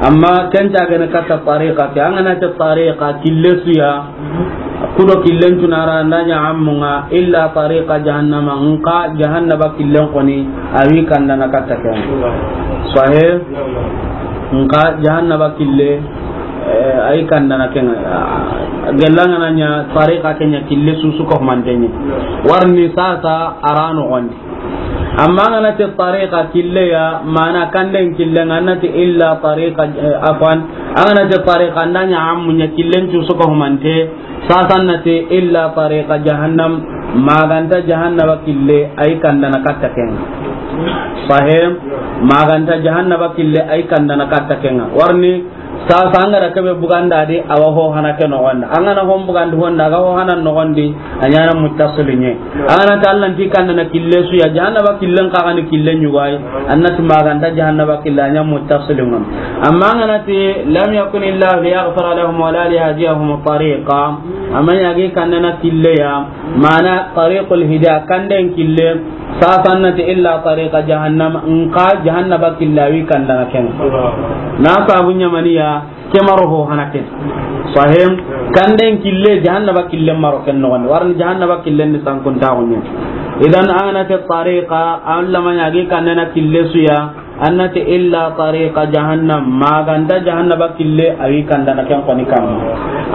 أما كنت أغنى كتا طريقة، أغنى طريقة كلسيا، kudo killen tunara ndanya ammunga, illa tariqa jahannama, nka jahannaba killen koni, awi kandana katta ken. Sahih? Nka jahannaba kille, eh, ayi kandana ken. Gellanga nanya tariqa kenya kille susu ko mantenye. Warni sasa arano gondi. Amma ngana te tariqa kille ya, mana kanden kille ngana te illa tariqa, eh, afwan, angana te tariqa ndanya ammunya killen tu suka humante, sasan na te illa tariqa jahannam, maganta jahannaba kille ay kandana katta ken. Sahih, maganta jahannaba kille ay kandana katta ken. Warni Sasa an ga da kebe buganda di, awa ho hana ke noxondi. An ga na hon bugandi honda, a ga ho hana noxondi, a ɲana muttasilinye. An ga na ta Alla nti kandana kille su ya, jahannaba killen ka ga ni killen ɲugay, an na ti maganta jahannaba kille, a ɲa muttasilin ŋa. Amma an ga na ti, lam yakun illahu liyaghfira lahum wala liyahdiyahum tariqa, amma ya gi kandana kille ya, mana tariqul hidaya, kanden kille, Sasa a na ti illa tariqa jahannam, nxa jahannaba kille a wi kandana ken ŋa. Na sabu ɲa mani ya, ke maro ho hana ken. Sahim, kanden kille, jahannaba kille maro ken noxon di. Wari ni jahannaba kille ni sankuntaxu ɲa. Idan a na ti tariqa, a lamanya gi kandana kille su ya, a na ti illa tariqa jahannam, ma ga nta jahannaba kille, a wi kandana ken xoni kamma.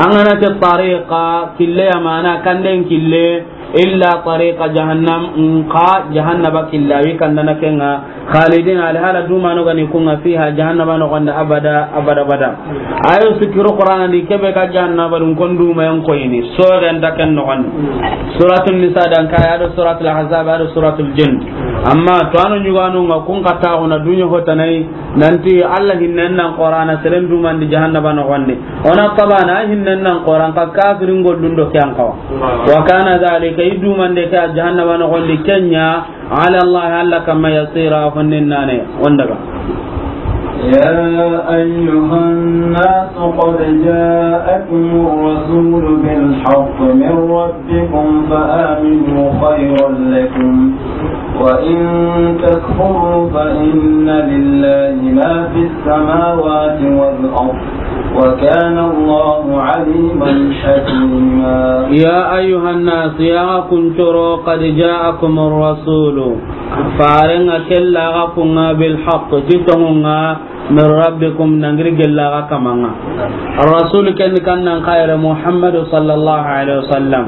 A na ti tariqa kille ya mana kanden kille, illa tariqa jahannam, nxa jahannaba kille a wi kandana ken ŋa, khalidin, alhala dumano ga ni ku ŋa, fiha, jahannaba noxon di, abada, abada, abada. Ayo sikiru Qur'ana di, ke be ga jahannaba dun kon duma yan koyini, so ga nta ken noxon di. Suratul Nisa dan kaya, a do Suratul Ahzab, a do Suratul Jinn. Amma to a no ɲuganu ŋa kun kataxu na dunya hotanai, nanti Allah hinnen nan Qur'ana seren dumandi jahannaba noxon di. O na tabana hinnen nan Qur'an ka kafirin gollun do ke an xawa. Wa kana dhalika, i dumande ke jahannaba noxon di ken ɲa, ala Allah, Allah kamma, yasira, fannin nane, wondaga. يا أيها الناس قد جاءكم الرسول بالحق من ربكم فآمنوا خيرا لكم، وإن تكفروا فإن لله ما في السماوات والأرض، وكان الله عليما حكيما. يا أيها الناس, ya xa kuncoro, قد جاءكم الرسول, faren ŋa kella xa ku ŋa, بالحق, ti tonŋun ŋa, من ربكم, nangiri gella xa kaman ŋa. Ar-rasul ken kan nan kayre Muhammad sallallahu alaihi wasallam.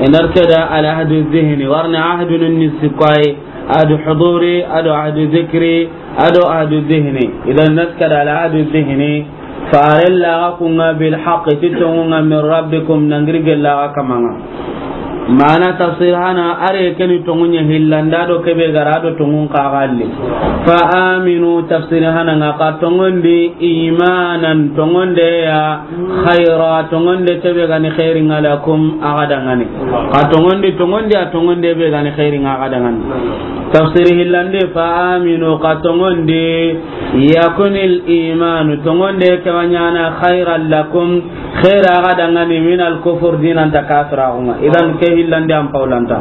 Inar keda al-ahdu dhihni, warni ahdu nun ni sikwaye, ahdu huduri, ahdu, ahdu dhikri, ahdu, ahdu dhihni. Idan nas keda al-ahdu dhihni, farella xa ku ŋa, بالحق, ti tonŋun ŋa, من ربكم, nangiri gella xa kaman ŋa. Mana tafsir hana, are keni tonŋun ɲa hillanda do ke be ga ra do tonŋun xa galli. Fa aminu, tafsir hana ŋa, xa tonŋondi, imanan, tonŋonde ya, khayra, tonŋonde ke be ga ni khairin ŋa, lakum, a ga da ŋa ni. Xa tonŋondi, tonŋonde ya, tonŋonde be ga ni khairin ŋa, a ga da ŋa ni. Tafsir hillande, fa aminu, xa tonŋondi, يكن الإيمان, tonŋonde ke wa ɲaana, خيرا لكم, khaira ga da ŋa ni, من الكفر, dinan ta kafiraxu ŋa. Idan ke hillandi an pawlanta.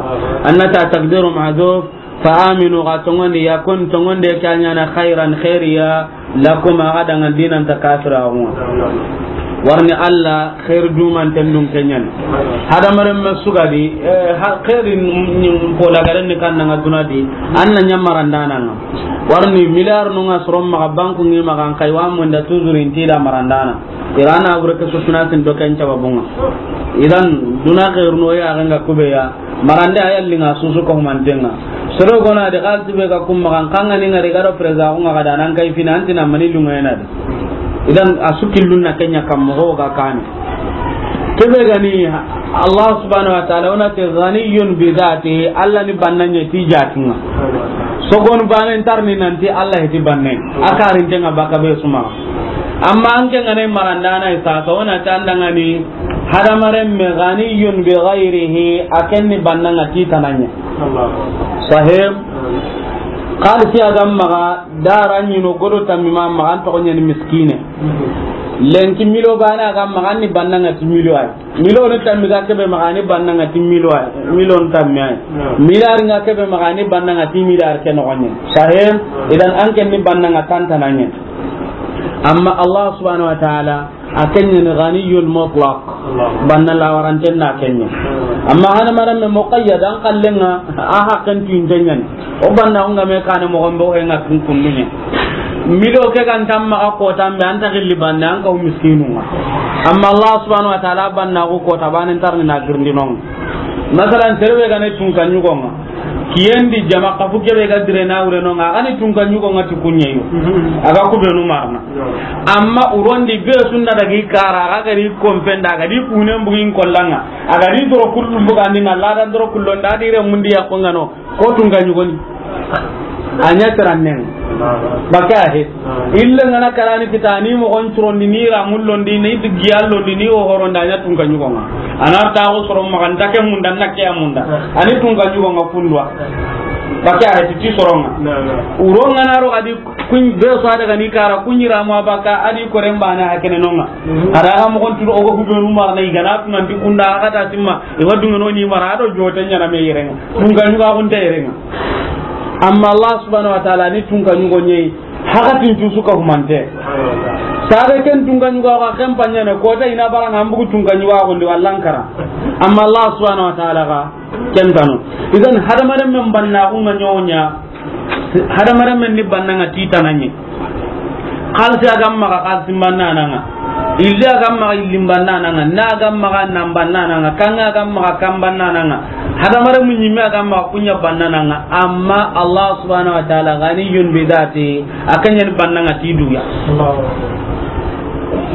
An na ta taqdiru mahzuf, fa aminu, xa tonŋondi, يكن, tonŋonde ke wa ɲaana, خيرا, khairiya, لكم, a ga da ŋa dinan ta kafiraxu ŋa. Warni Allah, khair dumanten dun ke ɲa ni. Hadamaren me su ga di, eh, ha, khairin, mm, mm, po lagaren ni kan na ŋa duna di, an na ɲa marandana ŋa. Warni milliard nu ŋa soron maxa, banku ŋi maxa, an kay wa munda toujours inti da marandana. Irana bure ke su financing do ken sababun ŋa. Idan duna khairu no ya ga ŋa ku be ya. Marande a yalli ŋa susu ko manten ŋa. Soro gona de xalisi be ga kum maxa, xa ŋa ni ŋari ga do président ko ŋa ga da nan kay fina antina mani lunga yana de. Idan a su killun na ke ɲa kam moxo ga kani. Ke be ga ni Allah subhanahu wa ta'ala, o na ti ghaniyun bi dhatihi, Allah ni banna ɲa ti jatin ŋa. Sogon bane ntar ni nanti Allah ti banne. A karinten ŋa baka be suma. Amma an ke ŋa ne marandana isa, so o na ti an da ŋa ni hadamaren me ghaniyun bi ghayrihi, a ken ni banna ŋa ti tana ɲa. Sahib. Xalisi a ga maxa, dara ɲi no godo tammi ma maxa, an toxo ɲa ni miskine. Lenki milo bane a ga maxa, an ni banna ŋa ti milo ay. Milo ni tammi ga ke be maxa, an ni banna ŋa ti milo ay. Milo ni tammi ay. Milliard ŋa ke be maxa, an ni banna ŋa ti milliard ke noxo ɲa. Sahib. Idan an ken ni banna ŋa tantana ɲa. Amma Allah subhanahu wa ta'ala, a ken ɲa ni ghaniyul mutlaq. Banna lawaranten na ken ɲa. Amma hadamaren me muqayyad, an kallen ŋa, a haqqen tu inte ɲa ni. O banna o ŋa me kane moxo be o he ŋa kun kundu ɲa. Milo ke kan tamma xa kota be, an ta gilli banna, an ka o miskinu ŋa. Amma Allah subhanahu wa ta'ala banna ko kota bane ntar ni na girndi no ŋa. Masalan, sere be ga ne tunka ɲugo ŋa. Kiyen di jama kafu ke be ga dire na wure no ŋa, a ga ni tunka ɲugo ŋa ti ku ɲa yo. A ga ku be nu marana. Amma uron di be su nda daga i kara, a ga ri kompen da, a ga di kunen bugin kollan ŋa. A ga di doro kullum bugandi na ladan doro kullon da, a di re mundi ya ko ŋa no. Ko tunka ɲugo ni. A ɲa tirannen. Baka he. Ille ŋa na karani kita ni moxon curondi, ni ramullondi, ni digiyallondi, ni o horondi, a ɲa tunka ɲugo ŋa. A na ta o soro maxa, nta ke munda, na ke a munda. A ni tunka ɲugo ŋa kundwa. Baka he ti soro ŋa. Uro ŋa na ro ga di kun be so a daga ni kara kun yira mo baka a di koren bane ha kene no ŋa. A da ga moxon turo o go ku be nu marana i ga na tunandi kunda a ga ta timma. I wa dunga no ni mara a do joten ɲa na me yere ŋa. Tunka ɲugo a kun te yere ŋa. Amma Allah subhanahu wa ta'ala ni tunka ɲugo ɲeyi, hakatin cusu ka humante. Saga ken tunka ɲugo ga ken panyane, ko ta ina bara nga mbugu tunka ɲugo ko ndi wallan kara. Amma Allah subhanahu wa ta'ala ga ken tanu. Idan hadamaren men banna ku nga ɲonya, hadamaren men ni banna nga titana ɲi. Xalisi a ga maxa xalisi banna na nga. Illi a ga maxa illi banna na nga. Na ga maxa nan banna na nga. Kanga ga maxa kan banna na nga. Hadamaren mu ɲimme a ga maxa kunya banna na nga. Amma Allah subhanahu wa ta'ala ganiyyun bi dhati, a kanya ni banna nga ti duya. Allahu akbar.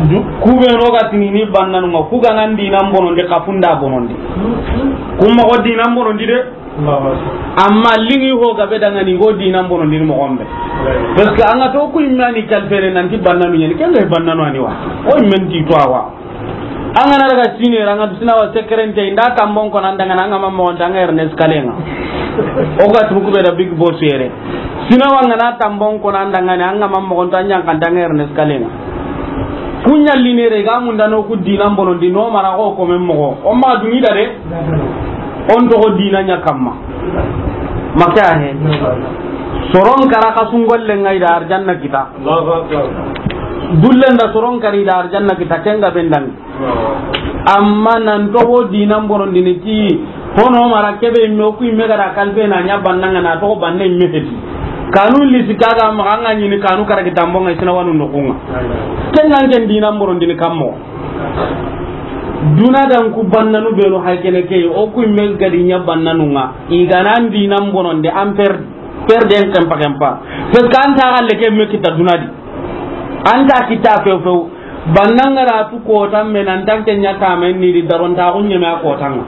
Du-, kube no ga tinini banna nga. Ku ga nan dinan bonondi, kafunda bonondi. Kuma ko dinan bonondi de. Amma lingi ho gabe dangani go dinan bonondi ni moxo be. Parce que an ga to ku imme ni kalfere nanti bannanu ɲeni, ken ga bannanu ani wa. O imme nti to awa. An ga na daga sine ra, an ga sina wa sekerente, inda tambon ko nan dangana, an ga ma moxo nta, an ga Ernest Kalenga. O ga tu ku be da Big Boss yere. Sina wa an ga na tambon ko nan dangani, an ga ma moxo nta, an ɲa kan nta, an ga Ernest Kalenga. Kunya linere ga mundano ku dinan bonondi no mara ko ko men moxo. O ma dungi da de. On toxo dina ɲa kamma. Maka he. Soron kara ka sungolle ngai da arjanna kita. Allahu akbar. Dullen da soron kari da arjanna kita, ken ga bendang. Amma nan toxo dinan bonondi ni ti, hono mara kebe imme ku imme ga da kalbe na ɲa banna nga na toxo banne imme feti. Kanu lisi kaga maxa nga ɲini kanu kara ki tambon nga sina wanu no kunga. Ken nan ken dinan bonondi ni kammo. Duna dan ku bannanu benu hay kene ke, o ku imme ga di ɲa bannanu nga. I ga nan dinan bonondi an per-, perden kempa kempa. Parce que an ta galle ke me kita duna di. An ta kita few few. Banna nga ra tu kota me nan tan ke ɲa ta me ni di daron ta ku ɲeme a kota nga.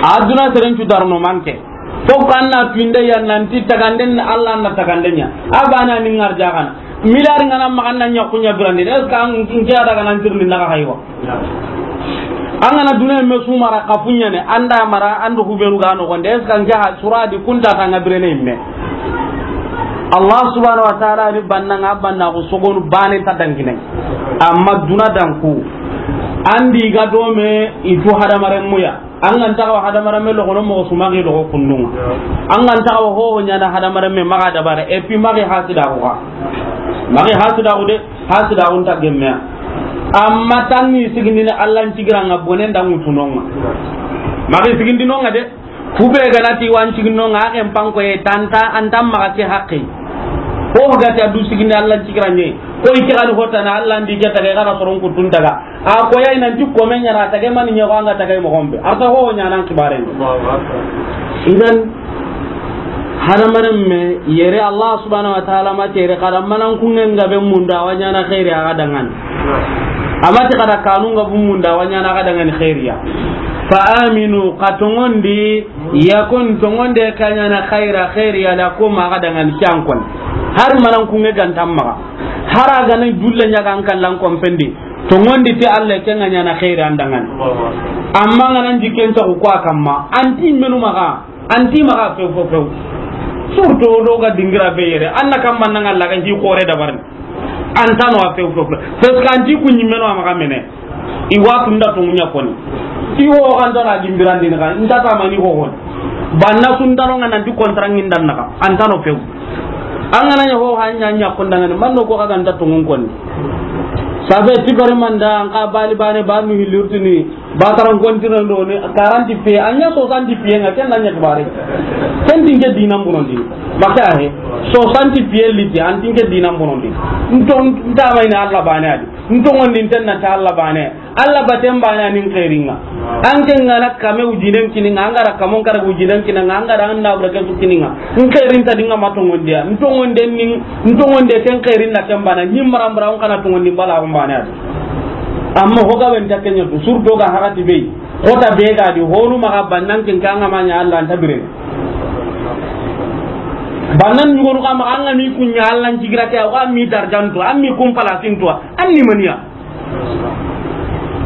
A duna seren tu darono manke. Fo kan na pinde ya nanti taganden Allah na taganden ɲa. A bana ni ngar jagan. Milari ngana maxa na ɲa kunya birandi. Est-ce que an ke ada ga nan tirni na ga haywa? An ga na duna me sumara kafunya ne, anda mara, ando hubenu ga no gonde. Est-ce que an ke ha suradi kunta ta nga birene imme? Allah subhanahu wa ta'ala ni banna nga banna ko sogonu bane ta dangine. Amma duna dan ku. Andi ga do me itu hadamaren muya. An ga nta xawa hadamaren me loxono moxo su, maxi loxo kundunga. An ga nta xawa hoho ɲana hadamaren me maxa dabara, et puis maxi hasidaxu xa. Maxi hasidaxu de, hasidaxu nta gemmeya. Amma tanni sigindini Allah n cigiranga bonen da ŋutunonga. Maxi sigindinonga de, kube ga na ti wa n ciginonga, a xen pankoye tanta, an ta maxa ke haqqe. Hoho ga ti a du sigindi Allah n cigirange, ko i ke ga ni hotana Allah ndi ke taga, i ga na soron kuttun taga. A koyi nanti komen ɲa na tage mani ɲa ko an ga tage moxo be. Arta ho ɲa nan kibare. Allahu akbar. Idan hadamaren me yere Allah subhanahu wa ta'ala ma tere kada manan kungen ga be munda wa ɲana khairi a ga dangani. Amati kada kanun ga bu munda wa ɲana ga dangani khairiya. Fa aminu, ka tongondi, yakun, tongonde ka ɲana khaira, khairiya lakum, a ga dangani cankon. Har manan kungen ga nta maxa. Har a ga na dulle ɲa ga an kallan kompendi. Tongondi ti Allah ke nga ɲana khairi an dangani. Amma nga nan jikken ta ko a kamma. Anti menu maxa, anti maxa few few few. Surtout do ga dingira be yere. Anna kamma nan Allah ga hi xore dabarni. Antano a few few few. Parce que anti ku ɲimeno a maxa mene. I wa tunda to munya koni. I ho kan to na gimbirandi na kan. Nda ta mani ho hon. Banna sundano nga nanti kontra ngindan na kan. Antano few. An ga na ɲa ho ha ɲa ɲa kondangani, manno ko xa ga nta tongon konni. Sabe ti bari manda, an ka bali bane, ba mi hilurtini, ba taran kontirando ni, quarante pieds, an ɲa soixante pieds nga, ken na ɲa kibare. Ken tinke dinan bonondi. Baka he, soixante pieds liti, an tinke dinan bonondi. Nton, nta mayni Allah bane adi. Ntongondi nten na ta Allah bane. Allah baten bane a ni n xeeringa. An ke nga na kame wujinen kininga, an ga ra kamon kara wujinen kininga, an ga ra an na wura ke su kininga. N xeerin ta dinga ma tongondiya. N tongonden ni, n tongonde ken xeerin na ken bana. Ni marambara on kana tongondi bala on bane adi. Amma ho ga ben ta kenya tu, surtout ga hagati be. Xota be ga di, honu maxa bannan ken kanga ma ɲa Allah nta bire. Bannan ɲugonu kama an ga mi kunya Allah n cigira ke, wa mi darjanto, an mi kun palasinto, an ni maniya.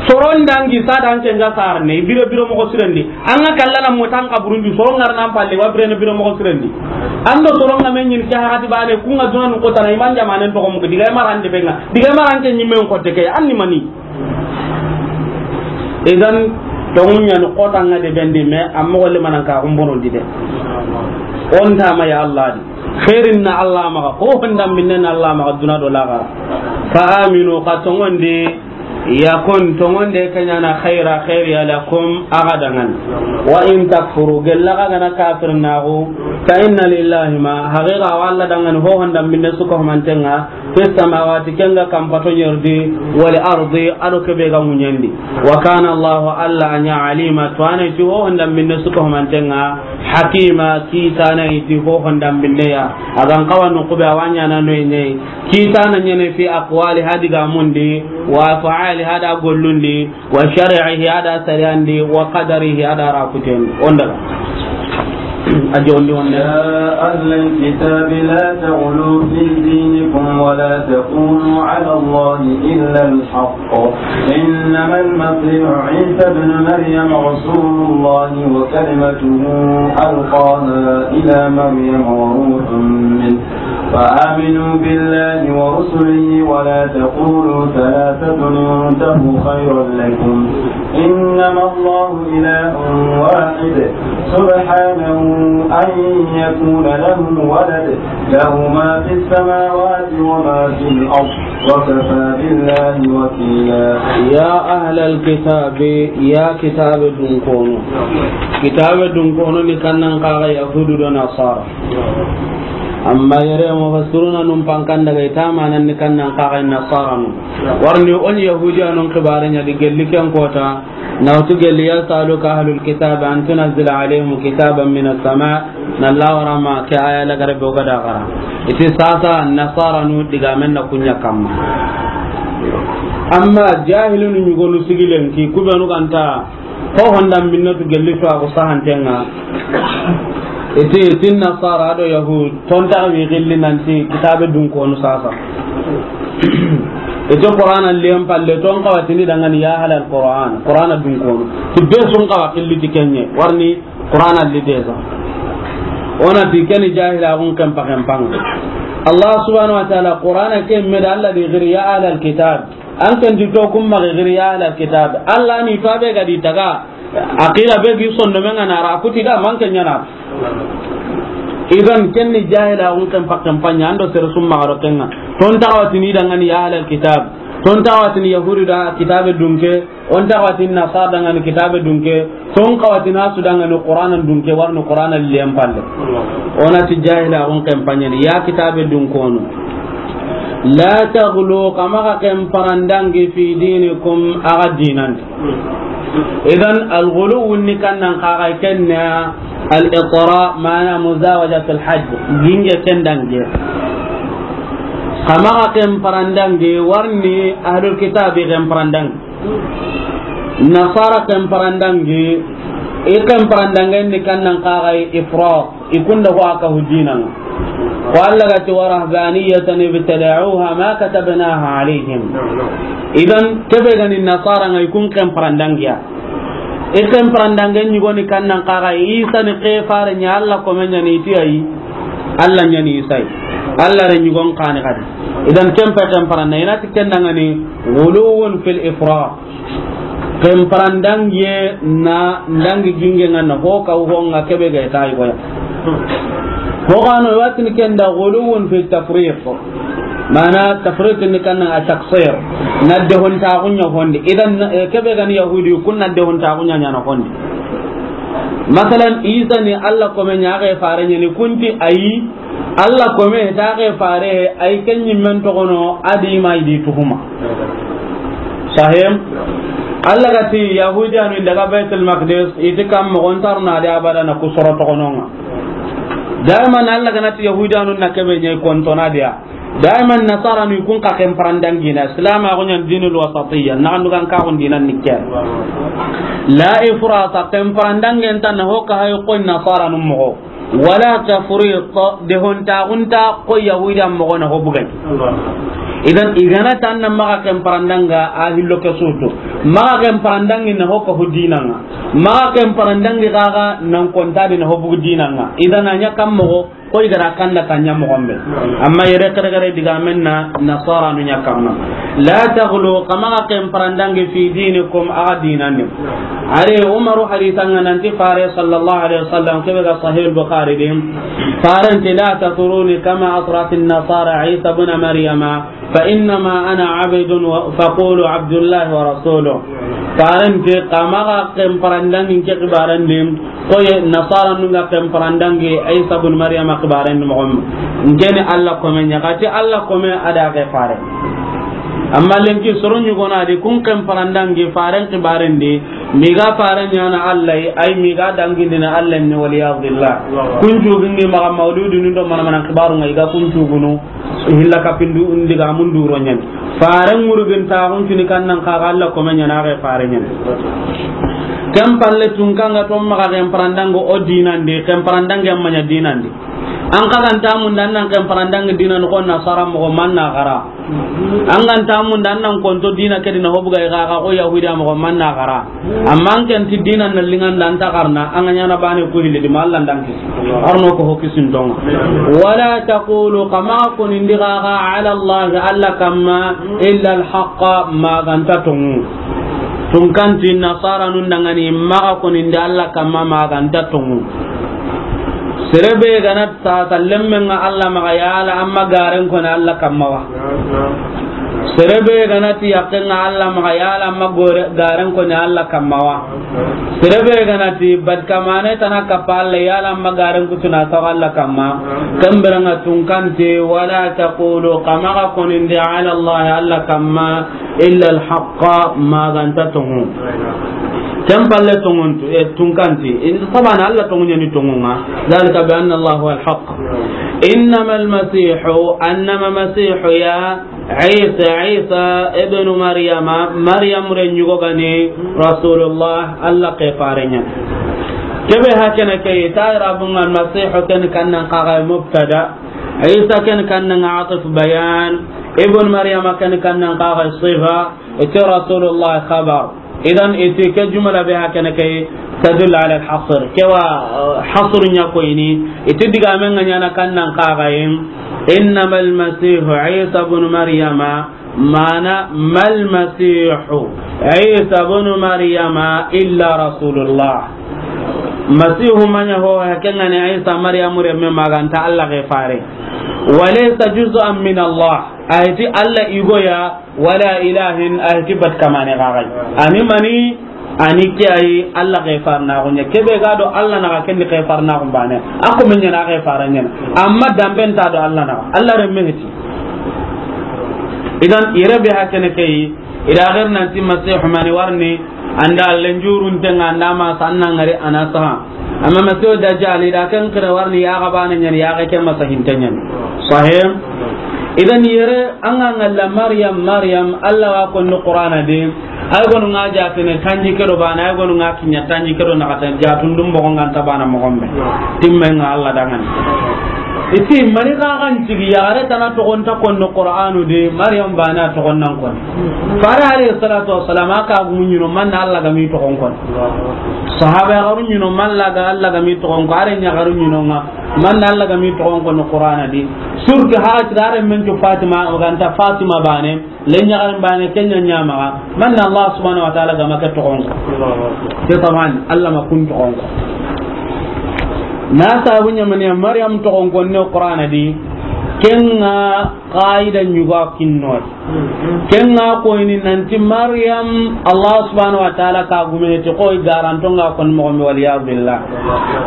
Soron dangi sa dan ke nga sarne, biro biro moxo sirendi. An ga kallana motan kaburundi, soron ngar nan palle, wa bire ne biro moxo sirendi. Ando soron nga men ɲin ke hagati bane, ku nga duna nu kotana, iman jamanen to ko mu diga maran de benga. Diga maran ke ɲimen ko te ke, an ni mani. Idan Tonŋu ɲa ni xotanga de bendi, mais amma golle manan ka xumbonondi de. O nta ma ya Allah di. Xeerin na Allah maxa, ho hondan binne na Allah maxa, duna do laxara. Fa aminu, xa tonŋondi, yakun, tonŋonde ke ɲa na xayra, xeeri ya lakum, axa danŋa ni. Wa in takfuru, gella xa ga na kafirnaxu, fa inna lillahi ma, haqiqa wa Allah danŋa ni ho hondan binne su ga humanten ŋa, fi samawati, ken ga kanpato ɲerdi, wal ardi, a do ke be ga ŋuɲen di. Wa kana Allahu, Allah a ɲa, alima, tuwana ti ho hondan binne su ga humanten ŋa, hakima, kitana ti ho hondan binne ya. A ga n xawa no ku be a wa ɲaana no ɲa yi. Kitana ɲa ni fi aqwali, ha digamun di, wa af'ali, ha da gollun di, wa shar'ihi, a da sariyan di, wa qadarihi, a da ra kuten di. O n daga. A jondi wonde. يا أهل الكتاب لا تغلوا في دينكم ولا تقولوا على الله إلا الحق. إنما المسيح عيسى ابن مريم رسول الله وكلمته ألقاها إلى مريم وروح منه. فآمنوا بالله ورسله ولا تقولوا ثلاثة، انتهوا خيرا لكم، إنما الله إله واحد، سبحانه أن يكون له ولد، له ما في السماوات وما في الأرض، وكفى بالله وكيلا. يا أهل الكتاب، يا كتاب دنكونو. كتاب دنكونو ni kannan kaga Yahudu do Nasara. Amma yere mufassiruna nun pankan daga i ta manan ni kannan kaga Nasara nu. Warni o ni Yahudiyanun xibare ɲa di gelli ken kota, na wutu gelli, يسألك أهل الكتاب أن تنزل عليهم كتابا من السماء, na lawarama ke aya lagare be o ga da xara. I ti sasa Nasara nu digamen na ku ɲa kamma. Amma jahilunu ɲugonu sigilen ki, ku be nu ga nta ho hondan binne tu gelli to a ko sahanten ŋa. I ti, i ti Nasara do Yahud, tonta wi gilli nanti kitabe dunkonu sasa. I ti Qur'ana liyen palle, ton xawa ti ni danŋa ni ya ahlal Qur'an, Qur'ana dunkonu. Ti be su n xawa gilli ti ken ɲa, warni Qur'ana li deza. O na ti ken ni jahilaxun ken paxen panga. Allah subhanahu wa ta'ala, Qur'ana ke me da Allah di giri ya ahlal kitab. An ken di to kun maxa giri ya ahlal kitab. Allah ni to a be ga di taga. Aqila be gi sondomen ŋa na ra kuti da man ken ɲa na. Idan ken ni jahilaxun ken paxen panga, an do sere su maxa ro ken ŋa. Ton taxawa ti ni danŋa ni ya ahlal kitab. Ton taxawa ti ni Yahudu da kitabe dunke. On taxawa ti ni Nasara danŋa ni kitabe dunke. Ton xawa ti ni a su danŋa ni Qur'ana dunke, warni Qur'ana liyen palle. O na ti jahilaxun ken panga ni, ya kitabe dunkonu. لا تغلوا, xa maxa ken parandangi, في دينكم, axa dinan di. Idan, al-ghuluw ni kannan kaga ken ɲa al-itra, mana muzawajatul hadd, ginge ken dange. Xa maxa ken parandangi, warni ahlul kitabi ken parandangi. Nasara ken parandangi, i ken parandangen ni kannan kaga ifrat. I kunda ho a ka hu dinan ŋa. Ko Allah ga ti, ورهبانية ابتدعوها ما كتبناها عليهم. Idan, kebe ga ni Nasara ŋa, i kun ken parandangiya. I ken parandangen ɲugoni kannan kaga, Isa ni ke fare ɲa, Allah kome ɲa ni, i ti ayi. Allah ɲa ni Isa yi. Allah re ɲugon kani kadi. Idan, ken pe ken paranna, i na ti ken danŋa ni غلو في الإفراط. Ken parandangiye na ndangi ginge ŋa na ho ka ho ŋa kebe ga ta yi goya. Ho gano watin ken da غلو في التفريط. Mana tafrit ni kannan a taksir. Na dehontaxu ɲa hondi. Idan, eh, kebe ga ni Yahudi kun na dehontaxu ɲa ɲa na hondi. Masalan, Isa ni Allah kome ɲa, ke fare ɲa ni, kun ti ayi. Allah kome ta ke fare, ay ken ɲimmen toxono, a di ma i di tuhuma. Sahem? Allah ga ti Yahudiyanu daga Baitul Maqdis, i ti kam moxo nta ro na di abada na ku soro toxono ŋa. Daiman Allah ga na ti Yahudiyanu na kebe ɲa i konto na diya. Daiman Nasaranu i kun ka ken parandangina. Islam a go ɲa dinul wasatiyya. Na andu kan ka go dinan ni ke. La ifrata, ken parandangen ta na ho ka hay ko Nasaranu moxo. ولا تفريط, dehontaxu nta ko Yahudiya moxo na ho bugay. Idan, i ga na tan na maxa ken parandanga a hillo ke sutu. Maxa ken parandangi na ho ka hu dinan ŋa. Maxa ken parandangi gaga nan konta di na ho bugu dinan ŋa. Idan, a ɲa kam moxo, Koy gara kanda kanya moxo be. Amma yere kare kare digamen na nasara nu ɲa kamma. La taghlu, xa maxa ken parandangi fi dinikum, a ga dinan di. Are Umaru haditha nga nanti Fare sallallahu alaihi wasallam, kebe ga Sahih al-Bukhari di. Faren ti, "La tatruni kama atrat an-nasara Isa ibn Maryama, fa innama ana abdun wa, faqulu Abdullahi wa rasuluh." Faren ti, "Xa maxa ken parandangi ke xibaran di, koye nasara nu ga ken parandangi Isa ibn Maryama xibaran di moxo be. Nke ni Allah kome ɲa." Xa ti Allah kome a da ke Fare. Amma lenki soro ɲugona di kun ken parandangi Faren xibaran di, mi ga Faren ɲaana Allah yi, ay mi ga dangindini Allah ni, wal iyadhu billah. Kun cugingi maxa mawludu ni do mana mana xibaru nga i ga kun cugunu. Hilla kapindu ndiga mun duro ɲani. Faren ŋurugin ta hun tuni kannan xa ga Allah kome ɲa na ga Fare ɲani. Ken palle tun kanga to maxa ken parandango o dinan di, ken parandange amma ɲa dinan di. An xa ganta mun dan nan ken parandange dinan ko nasara moxo man na xara. An ganta mun dan nan konto dina ke di na hobu ga ga ko Yahudiya moxo man na xara. Amma an ken ti dinan na lingan dan ta xarana, an ga ɲaana bane ku hilli di ma Allah dan kisi. Arno ko ho kisin tonga. Wala taqulu, xa maxa koni ndi xa ga, ala Allah, Allah kamma, illa al-haqqa, ma ganta tongu. Tun kanti nasara nun dangani, maxa koni ndi Allah kamma, ma ganta tongu. Sere be ga na ti sasa lemmen nga Allah maxa, yala amma garen koni Allah kamma wa. Sere be ga na ti yakken nga Allah maxa, yala amma gore, garen koni Allah kamma wa. Sere be ga na ti bat kamane tana kappa Allah, yala amma garen kutuna sawa Allah kamma. Ken bire nga tun kanti, wala taqulu, xa maxa koni ndi ala Allah, Allah kamma, illa al-haqqa, ma ganta tongu. Ken palle tongun tu, e, tun kanti. In sabana Allah tongu ɲani tongu nga. Zalika bi anna Allah huwa al-haqq. Innama al-masihu, annama masihu ya Isa, Isa ibnu Maryama, Maryam renɲugo gani, Rasulullah, Allah ke Fare ɲa. Kebe hakene ke, ta irabun al-masihu ken kannan xa ga mubtada. Isa ken kannan atif bayan. Ibn Maryama ken kannan xa ga sifa. Ite Rasulullah khabar. Idan iti ke jumla be hakene ke tadullu ala al-hasr. Ke wa, eh, hasr ɲa ko ini. Iti digamen nga ɲaana kannan xa ga yin. Innama al-masihu Isa ibn Maryama, mana mal masihu Isa ibn Maryama illa rasulullah. Masihu ma ɲa ho, hakenga ni Isa Maryamu remme, ma ganta Allah ke Fare. Wa laysa juz'an min Allah. Ayti Allah igoya, wala ilahin, ayti bat kamane gagai. Ani mani, ani ke ay Allah ke Fare na gonya. Kebe ga do Allah na ga ken ke Fare na gon bane. Ako men ɲa na ke Fare ɲa. Amma damben ta do Allah na. Allah remme heti. Idan, yere be hakene ke yi, ida gar nanti Masihu mani warni, anda lenjurun tenga, anda ma sanna ngari anasa. Amma Masihu Dajjal, ida ken kere warni ya ga bana ɲani, ya ga ken masa hinte ɲani. Sahih? Idan yere, anga ngalla Maryam, Maryam, Allah wa ko no Qur'ana de, Ay gonu nga jatene tanji kedo bana, ay gonu nga kinya tanji kedo na kata jatun dum bogo nga ta bana mo gombe. Timme nga Allah dangan. Iti mani ka kan tigi ya gare tana to gonta konno Qur'anu de, Maryam bana to gonnan kon. Fare alayhi salatu wassalam aka gumu nyino man Allah ga mi to gon kon. Sahaba ya garu nyino man Allah ga, Allah ga mi to gon ko, are nya garu nyino nga man Allah ga mi to gon kon Qur'ana de. Surtout ha tirare men to Fatima, o ganta Fatima bane. Len ɲagarin bane kenya ɲamaga. Manna Allah subhanahu wa ta'ala ga ma ke toxon ko. Ke taban Allah ma kun toxon ko. Na sabu ɲamani Maryam toxon ko ne Qur'ana di. Kenga qaida ɲuga kinno. Kenga ko ini nanti Maryam Allah subhanahu wa ta'ala ka gume ti ko garanto nga kon mo, wal iyad billah.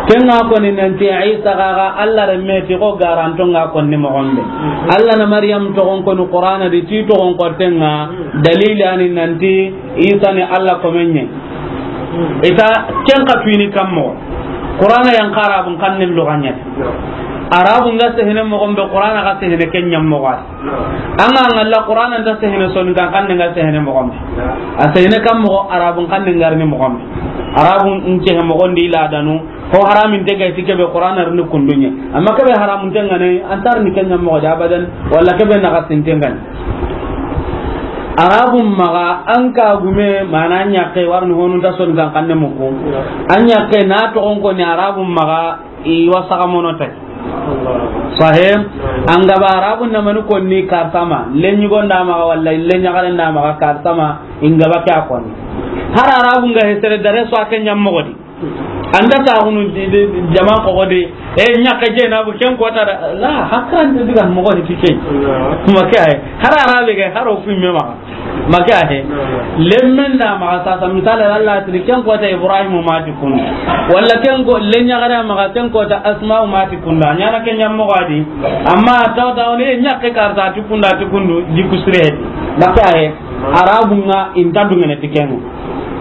Kenga ko ni nanti Isa ga ga Allah remme ti ko garanto nga kon ni mo gombe. Allah na Maryam toxon ko ni Qur'ana di ti toxon ko tenga dalili ani nanti Isa ni Allah ko menye. Ita ken ka tuini kammo. Qur'ana yan qarabun kan ni luganya. Arabun ga sehene mo gombe, Qur'ana ga sehene kenya mo gombe. Anga ngalla Qur'ana nda sehene Soninkan xanne nga sehene mo gombe. A sehene kam mo Arabun xanne ngarni mo gombe. Arabun nce mo gondi la danu. Ho haramin te ga ti kebe Qur'ana rni kundunye. Amma kebe haramun te ngane antar ni kenya mo da abadan, wala kebe na gasin te ngane. Arabun maga an ka gume mana nya ke warni honu ta Soninkan xanne mo ko. Anya ke na to on ko ni Arabun maga i wa saga mono tay. Sahe, an ga ba Arabun na mani konni karsama, lenyi gonda maxa walla lenyi garen da maxa karsama, in ga ba ke a konni. Har Arabun ga hesere dare so a ke ɲa moxo di. An da ta hunu di, di, di, jama ko di. E ɲa ka je na bu ken ko ta da. La, hakran de diga moxo di ke. Ma ke ay. Har Arabe ga haro fi me maxa. Ma ke a he. Lemmen da maxa sasa, misali, Allah tiri ken kota Ibrahim ma ti kundu. Walla ken ko, lenyi gare maxa ken kota Asma ma ti kundu. Ɲa na ke ɲa moxo di. Amma taw taw ne ɲa ke karta ti kundu, ti kundu, di kusire. Ma ke a he. Arabun ŋa in ta dungene ti ken.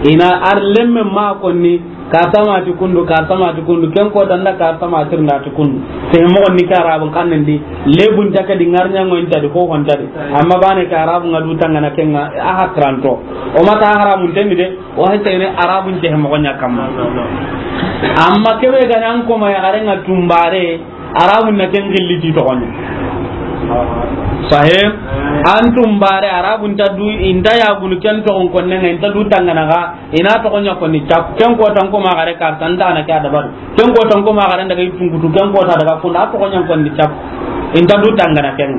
Ina ar lemmen ma konni, karsama ti kundu, karsama ti kundu, ken kota nda karsama tirnda ti kundu. Te moxo ni ke Arabun xannen di, lebun ta ke di, ŋarɲango in ta di, ko hon ta di. Amma bane ke Arabun ŋa du tangana ken ŋa, a hakranto. O ma ta haramun tendi de, o hete ne Arabun te moxo ɲa kamma. Amma ke be ga nan ko ma ya garen ŋa tumbare, Arabun na ken gilli ti toxo ɲa. Sahe, an tumbare Arabun ta du, in ta ya gunu ken toxon konne ŋa, in ta du tangana ga, ina toxo ɲa konni cap. Ken kota n ko ma gare karta, n ta na ke a dabaru. Ken kota n ko ma gare n daga i tunkutu, ken kota daga kunda, a toxo ɲa konni cap. In ta du tangana ken.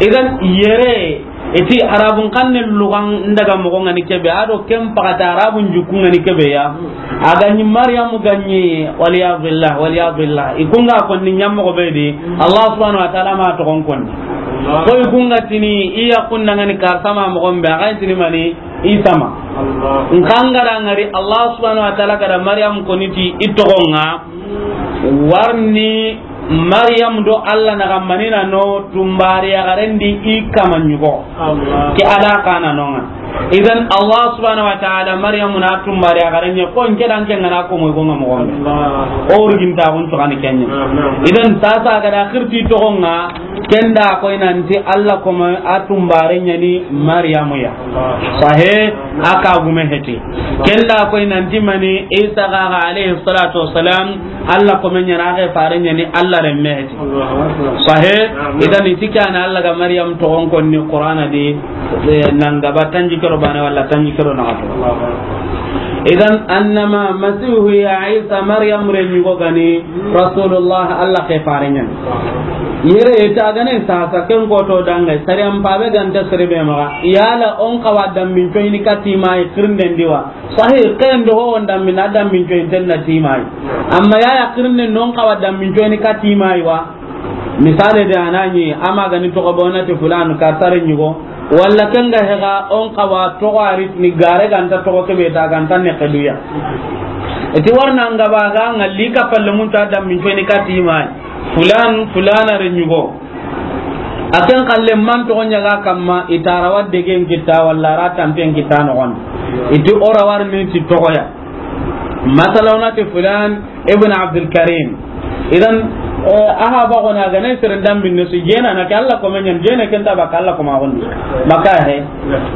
Idan yere, iti Arabun xannen lugan n daga moxo ŋa ni ke be, a do ken paxata Arabun jukku ŋa ni ke be ya. A ga ɲi Maryam ga ɲi, wal iyadu billah, wal iyadu billah. I kun ga konni ɲa moxo be di, Allah subhanahu wa ta'ala ma toxon konni. Ko i kun ga tini, i ya kun na ŋa ni karsama moxo be, a ga tini mani, Isa ma. N xa n ga ra ŋari, Allah subhanahu wa ta'ala ga da Maryam konni ti i toxon ŋa, warni Maryam do Allah na ga mani na no tumbare ya garen di i kama ɲugo. Ke ala kana no ŋa. Idan Allah subhanahu wa ta'ala Maryam na tumbare ya garen ɲa ko n ke dan ke ŋa na ko mo go ŋa moxo be. O urgin ta gun to kan ken ɲa. Idan sasa ga da xirti toxon ŋa, ken da koy nanti Allah ko ma a tumbare ɲa ni Maryamu ya. Sahe, a ka gume heti. Ken da koy nanti mani Isa ga, ga alayhi salatu wassalam, Allah ko men ɲa na ga fare ɲa ni Allah renme heti. Sahe, idan i ti ke na Allah ga Maryam toxon konni Qur'ana di, e, nan ga ba tanji kero bane walla tanji kero na to. Idan annama Masihu ya Isa Maryam renɲugo ga ni Rasulullah, Allah ke fare ɲa ni. Yere ta ga ne sasa ken ko to dange, sariyan pabe ga nta sere be maxa. Yala on xawa dambin coyini kati ma i xirnden di wa. Sahi, ken do ho on dambin, a dambin coyinten na ti ma i. Amma ya ya xirnden non xawa dambin coyini kati ma i wa. Misale de a na ɲi, a ma ga ni toxo bona ti fulan karta renɲugo. Walla ken ga hega on xawa toxo a ri ni gare ga nta toxo ke be ta ga nta ne ke du ya. I ti warna n ga ba ga ŋalli ka palle mun ta dambin coyini kati ma i. Fulan, fulana renɲugo. A ken xalle man toxo ɲa ga kamma, i ta ra wa degen kita walla ra tampen kita noxon. I ti o ra war ni ti toxo ya. Masala o na ti fulan ibn Abdul Karim. Idan, eh, a ha ba gona ga ne seren dambin ne su jena na ke Allah ko men ɲa ni, jena ken ta ba ka Allah ko ma gondi. Maka he.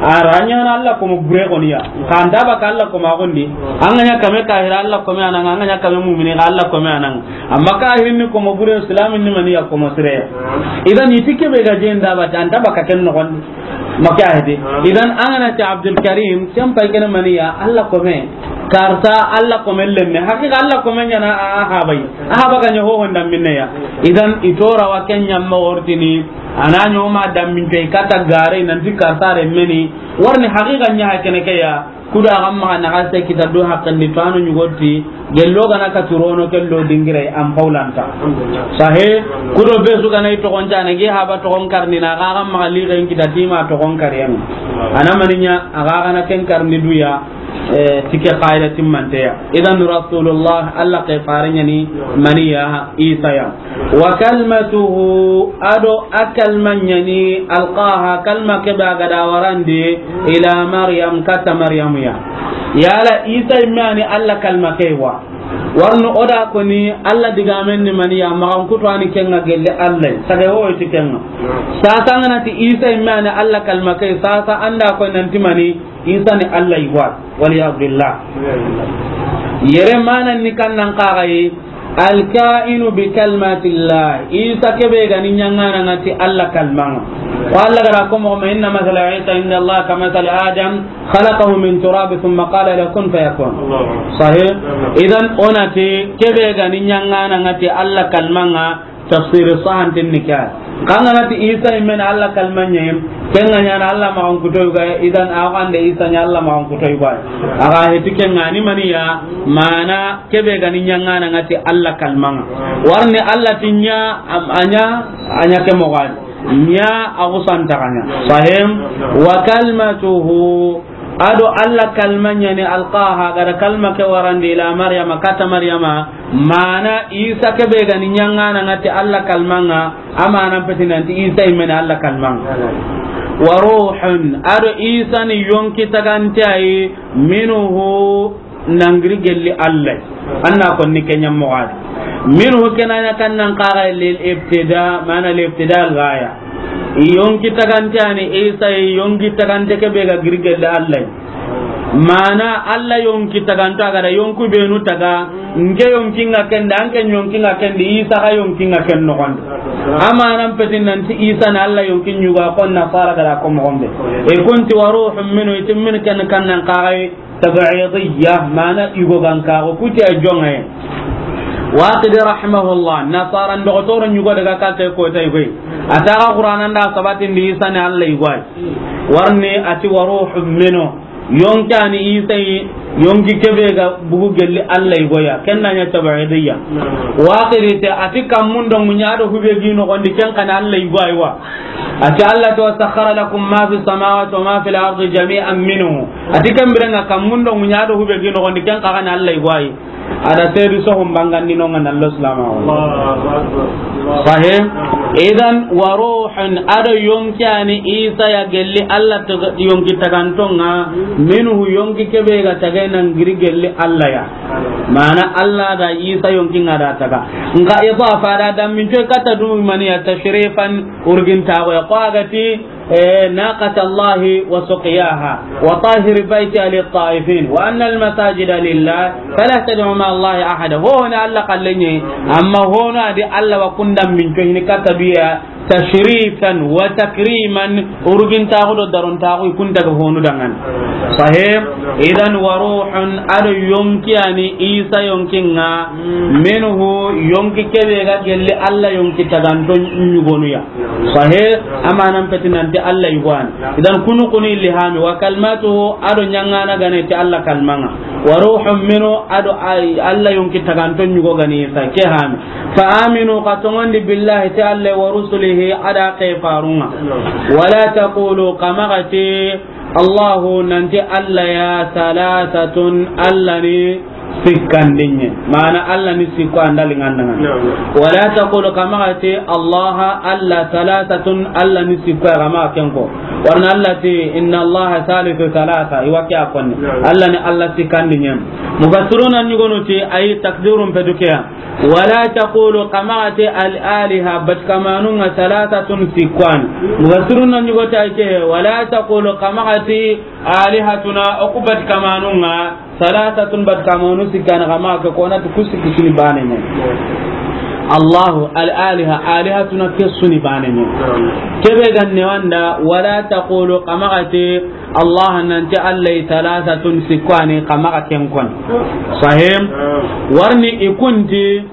A ra ɲa na Allah ko mo bure goni ya. Kan ta ba ka Allah ko ma gondi. An ga ɲa kame kahira Allah ko me a na ŋa, an ga ɲa kame mu'mini Allah ko me a na ŋa. Amma kahirin ni ko mo bure, islamin ni mani ya ko mo sire. Idan i ti ke be ga jenda ba ta, an ta ba ka ken noxon. Maka hede. Idan an ga na ti Abdul Karim, ken pay ken mani ya, Allah ko me. Karta Allah ko me lenne. Hakika Allah ko me ɲa na a, a ha bay. A ha ba ga ɲa ho honda minne ya. Idan i to ra wa ken ɲa ma wortini. A na ɲo ma dambin coyi kata gare nanti karta renme ni. Warni hakika ɲa ha kene ke ya. Kuda ga maxa na ga se kita do haqqen di to a no ɲugo ti, gello ga na ka turono kello dingire an paulanta. Sahe, kudo be su ga na i toxon jane gi haba toxon karni na ga ga maxa li ga in kita ti ma toxon kariyan. A na mani ɲa a ga ga na ken karni du ya, eh, ti ke qaida timmante ya. Idan Rasulullah, Allah ke fare ɲa ni mani ya, Isa ya. Wa kalmatuhu, a do a kalma ɲa ni, alqaha, kalma ke be a ga da warandi, ila Maryam, kata Maryamu ya. Yala Isa i me a ni Allah kalma ke wa. Warno o da ko ni Allah digamen ni mani ya, maxan kutu a ni ken ŋa gelle Allah. Sage wo ti ken ŋa. Sasa an ga na ti Isa i me a ni Allah kalma ke, sasa an da ko nanti mani Isa ni Allah i wa. Wal iyadu billah. Yere manan ni kan nan kaga yi, Alkainu bi kalmatillah. Isa ke be ga ni ɲaŋana ŋa ti Allah kalma ŋa. Ko Allah ga da ko mo, inna masala Isa inda Allah ka masali Adam, khalaqahu min turab thumma qala lahu kun fayakun. Sahih. Idan o na ti ke be ga ni ɲaŋana ŋa ti Allah kalma ŋa, Tafsiri sahanten ni ke ya. Xa an ga na ti Isa yinme ni Alla kalima ɲa yi, ken ga ɲaana Alla maxankuto yogo ya, idan a wa xande Isa ɲa Alla maxankuto yogo ya. A ga heti ken ga ni mani ya, mana ke be ga ni ɲaŋana ŋa ti Alla kaliman ŋa. Wa ri ni Alla ti ɲa, am-, a ɲa, a ɲa ke moxo ya di. Ɲa a xusa nta xa ɲa. Sahim. Wa kalimatuhu, a do Alla kalima ɲa ni alqaha, a ga da kalima ke warandi ila Maryama, kata Maryama, mana Isa ke be ga ni ɲaŋana ŋa ti Alla kaliman ŋa, a manan peti nan ti Isa yinme ni Alla kaliman ŋa. Wa ruhun, a do Isa ni yonki tagante ya yi, minhu, nan giri gelli Alla. An na ko ni ke ɲa moxo ya di. Minhu ke na ɲa kan nan xaxa lil ibtida, mana lil ibtida al ghaya. Yonki tagante ya ni Isa yi, yonki tagante ke be ga giri gelli Alla. Mana Alla yonki taganto, a ga da yonku benu taga, n ke yonkin ŋa ken di, an ke yonkin ŋa ken di, Isa xa yonkin ŋa ken noxon di. A manan peti nan ti Isa ni Alla yonkin yogo ya, xo Nasara ga da ko moxo be. I kun ti wa ruhun minhu, i ti minhu ke ni kan nan xaxa yi, tab'idiyya, mana yogo ga n ka ko ku ti a joŋa yi. Waqidi rahimahullah, Nasara n doxotoro yogo daga katta ko ta yogo yi. A ti a ga Qur'ana nda sabatindi Isa ni Alla yogo ya. Wa ri ni a ti wa ruhun minhu. Yonki ya ni Isa yi, yonki ke be ga bugu gelli Alla yogo ya. Ken na ɲa tab'idiyya. Waqidi te a ti kammun do ŋuɲa do hube gi noxon di, ken xa ni Alla yogo ya yi wa. A ti Alla ti, "Wa sakhkhara lakum ma fi samawati wa ma fil ardi jami'an minhu." A ti ken biren ŋa kammun do ŋuɲa do hube gi noxon di, ken xa ga ni Alla yogo ya yi. A da seedu sohun bangandi no ŋa na lo silama wa. Sahih. Idan wa ruhun, a do yonki ya ni Isa ya gelli Alla to yonki taganto ŋa, minhu yonki ke be ga taga nan giri gelli Alla ya. Mana Alla da Isa yonkin ŋa da taga. N ga idafa da damminto kata du mani ya tashrifan urgin ta ko ya ko a ga ti Eh, ناقة الله وسقياها وطهر بيتي للطائفين وأن المساجد لله فلا تدعوا مع الله أحدا. Ho na Alla kallenye, amma ho na di Alla wa kunda min to hini kata biya tashrifan wa takriman, urgin taxu do daron taxu kunta ga honu dangan. Sahih. Idan wa ruhun, a do yonki ya ni Isa yonkin ŋa, minhu yonki ke be ga gelli Alla yonki taganto ɲugonu ya. Sahih, a manan peti nan ti Alla yogo ya ni. Idan kunu kunu ilhami, wa kalimatuhu, a do ɲaŋana ga ni ti Alla kaliman ŋa. Wa ruhun minhu, a do ay, Alla yonki taganto yogo ga ni Isa ke hami. Fa aminu, xa tonŋundi billahi ti Alla wa rusulihi, a do a ke farun ŋa. Wala taqulu, xa maxa ti, Allahu, nan ti Alla ya, thalathatun, Alla ni sikkandinye. Mana Alla ni sikko an da linŋa nda ŋa. Naam. Wala taqulu, xa maxa ti, Allaha, Alla, thalathatun, Alla ni sikko ya, xa maxa ken ko. Wa ri ni Alla ti, inna Allaha thalithu thalatha, i wa ke ya konni. Naam. Alla ni Alla sikkandinye. Mufassiruna ɲugonu ti, ay takdirun petu ke ya. Wala taqulu, xa maxa ti al-aliha, batikamanun ŋa, thalathatun, sikko ya ni. Mufassiruna ɲugo ti a ke, wala taqulu, xa maxa ti alihatuna, o ku batikamanun ŋa, thalathatun, batikamanu sikko ya ni, xa maxa ke ko na ti ku sikki su ni bane ɲa. Allahu, al-aliha, alihatuna, ke su ni bane ɲa. Ke be ga ne wanda, wala taqulu, xa maxa ti Allah, nan ti Alla yi thalathatun, sikko ya ni, xa maxa ken konni. Sahih. Wa ri ni i kun ti,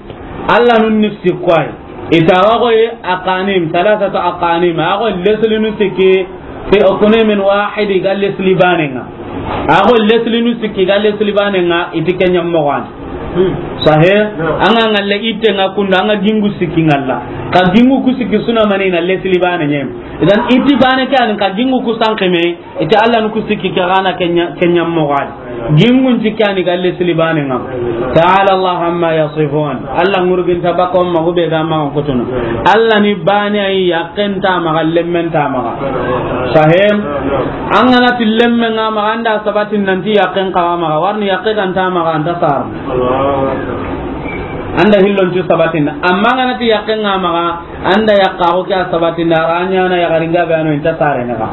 Alla nun ni sikko ya yi. I ti a wa xo yi aqanim, thalathatu aqanim. A xo leslinu sikki, fi aqnimin wahid, ga lesli bane ŋa. A xo leslinu sikki, ga lesli bane ŋa, i ti ke ɲa moxo ya ni. Sahih. An ga ŋalla itte ŋa kundu, an ga gingu sikki ŋalla. Xa gingu ku sikki su na mani na lesli bane ɲa. Idan i ti bane ke ya ni xa gingu ku sanqi me, i ti Alla ni ku sikki ke xa na ke ɲa, ke ɲa moxo ya ni. Gingun ti ke ya ni ga lesli bane ŋa. Ta'ala Allah amma yasifun. Alla ŋurgin ta baka o maxa be ga maxa kutunu. Alla ni bane ya yi, yaqqen nta a maxa, lemmen nta a maxa. Sahih. An ga na ti lemmen ŋa a maxa, an da sabatin nan ti yaqqen xa a maxa. Wa ri ni yaqqe ga nta a maxa, an ta sar. An da hillon ti sabatin. Amma an ga na ti yaqqen ŋa a maxa, an da yaqqa xo ke ya sabatin da, a ra ɲaana yaxarin ga be a no i nta sare na xa.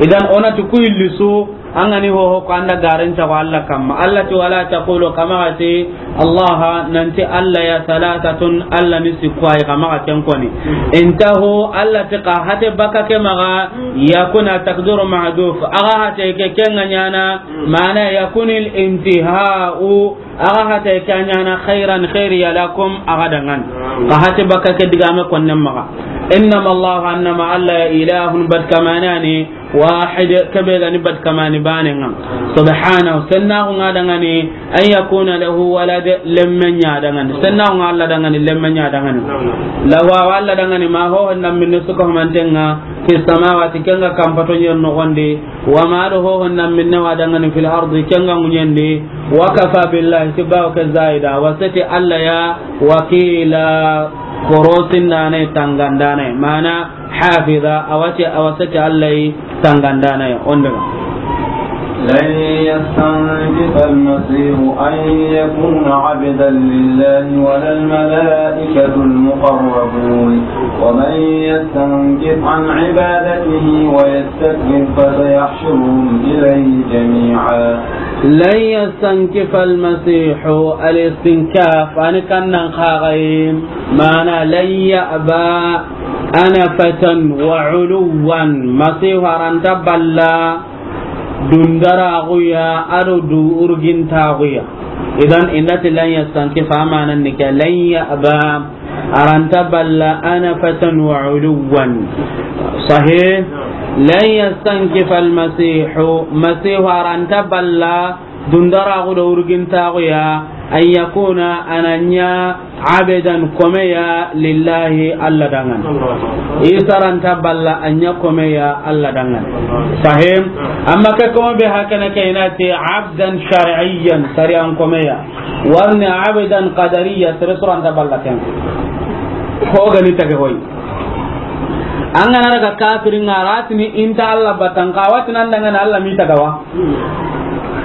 Idan o na ti ku hilli su, An ga ni hoho ko an da garen ta ko Allah kamma. Allah ti, "Wala taqulu," xa maxa ti, "Allah, nanti Allah ya, thalathatun, Allah ni sikku wa yi," xa maxa ken koni. "Intahu," Allah ti xa hate baka ke maxa, "yakuna takdiru mahduf." Axa hate ke ken ga ɲaana, mana yakunil intihau, axa hate ke ɲaana khairan, khairiya lakum, axa dangan. Xa hate baka ke digame konnen maxa. Innama Allah, annama Allah ya, ilahun, bat kamane ni, wahid, kebe ga ni bat kamani banen ŋa. Subhanahu, sennaxu ŋa dangani, an yakuna lahu walad, lemme ɲa dangani. Sennaxu ŋa Allah dangani, lemme ɲa dangani. Lahu, Allah dangani, ma ho honda minne su ka humanten ŋa, fi samawati, ken ga kampato ɲen noxondi, wa ma do ho honda minne wa dangani, fil ardi, ken ga ŋuɲendi, wa kafa billahi, ti bawo ke zaida, wa seti Allah ya, wakila, korosindane, tangandane, mana, hafiza, a wa ti, a wa seti Allah yi tangandana ya, on daga. لن يستنكف المسيح أن يكون عبدا لله ولا الملائكة المقربون ومن يستنكف عن عبادته ويستكبر فسيحشرهم إليه جميعا. لن يستنكف المسيح، الاستنكاف، ani kannan xaxayi, mana لن يأبى أنفة وعلوا، Masihu a ra nta balla dundaraxu ya, a do du urgintaxu ya. Idan, i nda ti لن يستنكف, a manan ni ke, لن يأبى, a ra nta balla أنفة وعلوا. Sahih? لن يستنكف المسيح, Masihu a ra nta balla dundaraxu do urgintaxu ya, أن يكون, a na ɲa, عبدا, kome ya, لله, Allah dangan. Isa ra nta balla a ɲa kome ya Allah dangan. Sahih? Amma ke kome be hakana ke i na ti عبدا شرعيا, sariyan kome ya. Warni عبدا قدريا, sere su ra nta balla ken. Ho ga ni tage hoy. An ga na daga kafirin ŋa ra ti ni i nta Allah batan, xa wa ti nan dangan Allah mi tagawa.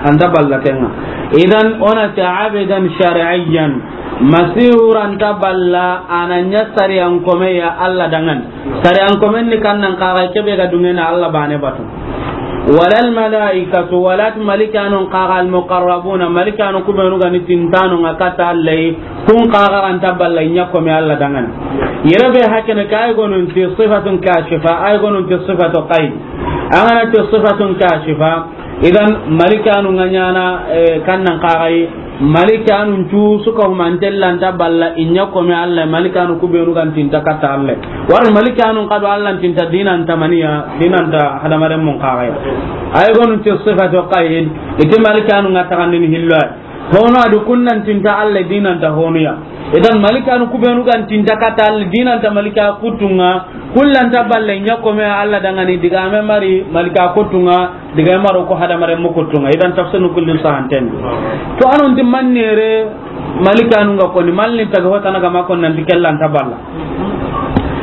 A nta balla ken ŋa. Idan, o na ti عبدا شرعيا. Masihu ra nta balla, a na ɲa sariyan kome ya Allah dangan. Sariyan komen ni kannan xaxayi, kebe ga dungena Allah bane batu. ولا الملائكة, wala ti malikanun xaxa, المقربون, malikanu ku benu ga ni tintanu ŋa kata Allah yi, kun xaxa ra nta balla i ɲa kome Allah dangan. Yere be hakene ke ay gonun ti صفة كاشفة, ay gonun ti صفة قيد. An ga na ti صفة كاشفة, idan malikanu ŋa ɲaana, eh, kannan xaxayi, malikanun cu su ka humanten ra nta balla i ɲa kome Allah, malikanu ku benu ga ni tinta kata Allah. Wari malikanun xa do Allah tinta dinan ta maniya, dinan ta hadamaren mun xaxayi. Ay gonun ti صفة قيد, i ti malikanun ŋa taxandini hillo ya. Hono a di kun na tinta Allah, dinan ta honu ya. Idan malikanu ku benu ga ni tinta kata Allah, dinan ta malika kuttun ŋa, kun ra nta balla i ɲa kome Allah dangani, digame mari malika kuttun ŋa, digame maro ko hadamaren mu kuttun ŋa. Idan tafsirun kullu sahanten. To, a non ti mannere malikanun ga koni, malin taga hotana ga ma kon nanti ke ra nta balla.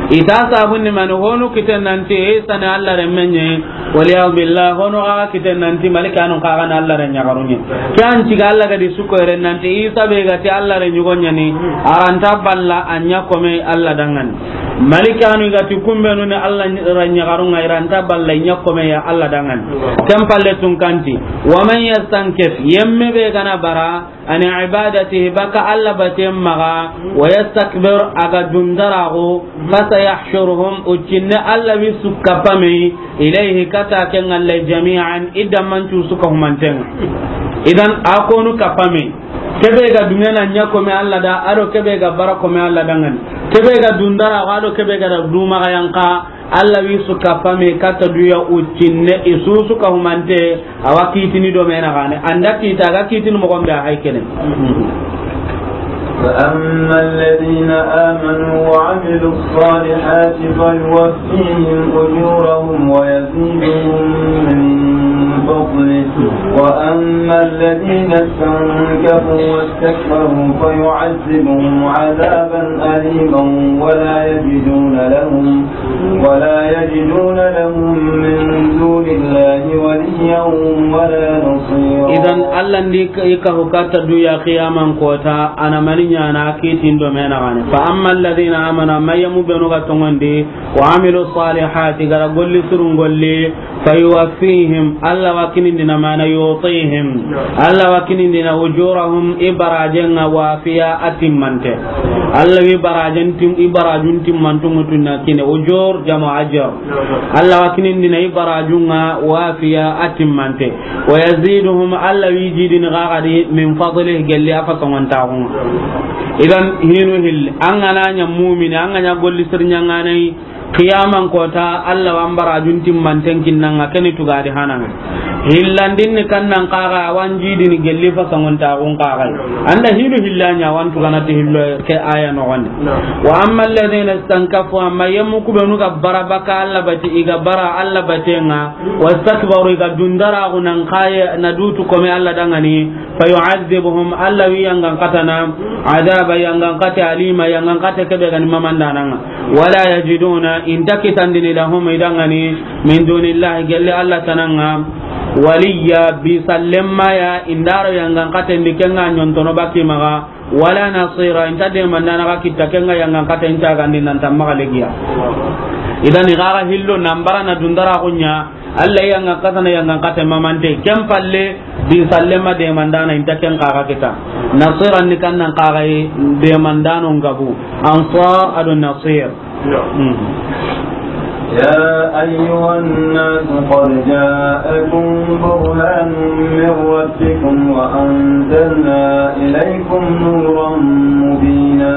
I ta sabun ni mani, honu kiten nanti Isa ni Allah renmen ɲa, wal iyadu billah, honu ga kiten nanti malikanun xaxa ni Allah ren ɲaxarun ɲa. Ke an ciga Allah ga di su ko yere nanti Isa be ga ti Allah ren ɲugo ɲa ni, a ra nta balla a ɲa kome Allah dangan. Malikanu ga ti kun benu ni Allah ren ɲaxarun ŋa, i ra nta balla i ɲa kome ya Allah dangan. Ken palle tun kanti, ومن يستنكف, yemme be ga na bara, عن عبادته, baka Allah baten maxa, ويستكبر, a ga dundaraxu, فسيحشرهم, uccinne Allah wi su kapame, إليه, kata ken Allah, جميعا, i damman cu su ka humanten ŋa. Idan, a konu kapame. Kebe ga dungena ɲa kome Allah da, a do kebe ga bara kome Allah dangan. Kebe ga dundaraxu, a do kebe ga da dumaxa yanqa, Allah wi su kapame kata duya uccinne, i su su ka humante, a wa kitini do me na gane. An da kita ga kitini moxon be a hay kene. فأما الذين آمنوا وعملوا الصالحات فيوفيهم أجورهم ويزيدهم من فضله، وأما الذين استنكفوا واستكبروا فيعذبهم عذابا أليما ولا يجدون لهم ولا يجدون لهم من دون الله وليا ولا نصيرا. Idan, Allah ndi ka, i ka hukata duya qiyaman kota, a na mani ɲaana kitin do me na gane. فأما الذين آمنوا, amma yemu benu ga tongondi, وعملوا الصالحات, i ga ra golli surun golli, Fayuwaffihim, Alla wa kinindina, mana yu'tihim, Alla wa kinindina, ujurahum, i barajen ŋa, wafiya, a timmante. Alla wi barajen tim-, i barajun timmantu ŋutunna kine, ujur, jamu ajr. Alla wa kinindina, i barajun ŋa, wafiya, a timmante. Wa yaziduhum, Alla wi jidini gagadi, min fadlih, gelli a fasongontaxun ŋa. Idan, hinu hilli, an ga na ɲa mumini, an ga ɲa golli sirɲanganai, Qiyaman kota, Alla wa an barajun timmanten kinnan ŋa, keni tugadi hanan ŋa. Hillandin ni kannan kaga, a wa an jidini gelli fasongontaxun kaga. An da hinu hilla ɲa, a wa an tugana ti hillo ke aya noxondi. Wa amma alladhina istankafu, amma yemmu kubenu ga bara baka Alla bati, i ga bara Alla baten ŋa, wastakbaru, i ga dundaraxu nan kaye na dutu kome Alla danŋa ni, fayu'adhibuhum, Alla wi yangan katana, adaba yangan kate, alima yangan kate, kebe gani mamandanan ŋa. Wala yajiduna, i nta kitandini, lahum, i danŋa ni, min dunillahi, gelli Alla tanan ŋa, waliya, bi sallemma ya, i ndaro yangan katen di ken ŋa ɲontono baki maxa, wala nasira, i nta demandana ga kitta ken ŋa yangan katen cagandi nan tamma ga legiya. Idan i gaga hillo nan bara na dundaraxu ɲa, Alla yangan katana yangan kate mamante, ken palle, bi sallemma demandana, i nta ken kaga kita. Nasira ni kannan kaga yi, demandano ngabu. Ansar ado nasir. Hmm. يا أيها الناس قد جاءكم برهان من ربكم وأنزلنا إليكم نورا مبينا.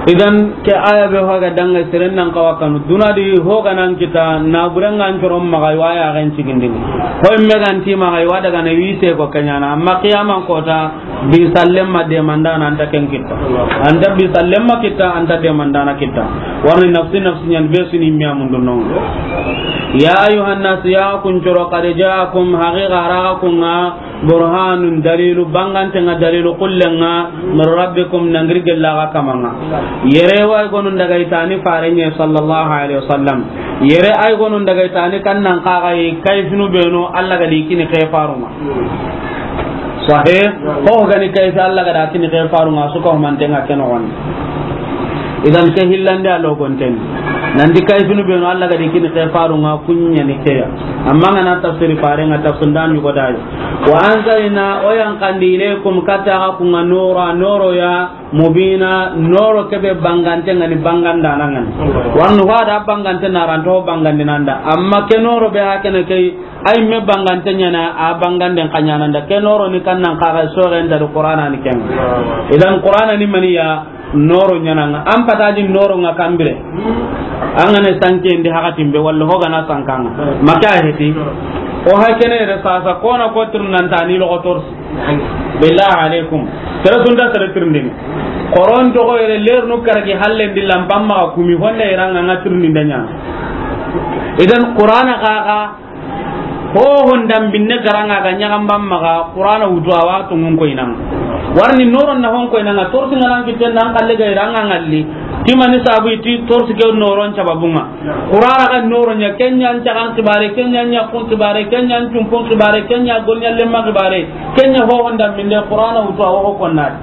Idan, ke aya be hoga danga seren nan kawa kanu. Duna di hoga nan kita, na burengan coron maxa, i wa ya gan cigindini. Ho imme gan ti maxa, i wa daga na wi se ko kenyana. Amma qiyaman kota, bi sallemma demandana anta ken kitta. Anta bi sallemma kitta, anta demandana kitta. Warni nafsi nafsi ɲan be suni miya mundu non. Ya ayyuhan nas, ya kun coro, qad ja'akum, haqiqa a ra ga kun ŋa, burhanun, dalilu bangante ŋa, dalilu kullen ŋa, min rabbikum, nangiri gella ga kaman ŋa. Yere wa ay gonun daga i tani farenye sallallahu alaihi wasallam. Yere ay gonun daga i tani kannan kaga yi kayfinu benu Alla ga di kini ke farun ŋa. Sahih, ho gani kayfi Alla ga da kini ke farun ŋa, su ka humanten ŋa ke noxon. Idan ke hillande a logonten. Nan di kayfinu benu Alla ga di kini ke farun ŋa, kunya ni ke ya. Amma ngana tafsiri faren ŋa, tafsir ndan yugo dai. Wa anzalna, o yan kandi, ilaykum, kata ga kun ŋa, nura, noro ya, mubina, noro kebe bangante ŋa ni, bangandana ŋa ni. Warnu hada bangante na ranto bangandinanda. Amma ke noro be hakene ke, ay me bangante ɲana, a banganden ka ɲananda. Ke noro ni kannan kaga soren da Qur'ana ni ken. Idan Qur'ana ni maniya, noro ɲana ŋa. An pataji noro ŋa kambire. An gane sanke ndi hakatin be, walla ho gana sankanga. Maka heti. O hakene re sasa kona ko tirnanta ni logo torsi. Billahi alaikum. Tere sunda tere tirndini. Koron to ko yere lernu karagi hallen di lampam ma kumi honda iranga nga tirndinde ɲa. Idan Qur'ana kaga, ho honda binne garanga ga ɲaga mbam maga, Qur'ana wutu a wa tungun koynan. Warni noron na hon koynan, torsi nganan kitten nan kalle ga iranga ngalli. Timani sabu iti torsi ke noron sababunga. Qur'ana ga noro ɲa, ken ɲa an cagan kibare, ken ɲa an ɲakkun kibare, ken ɲa an cumpun kibare, ken ɲa golɲallenma kibare, ken ɲa ho honda minde, Qur'ana wutu a wa ho konnadi.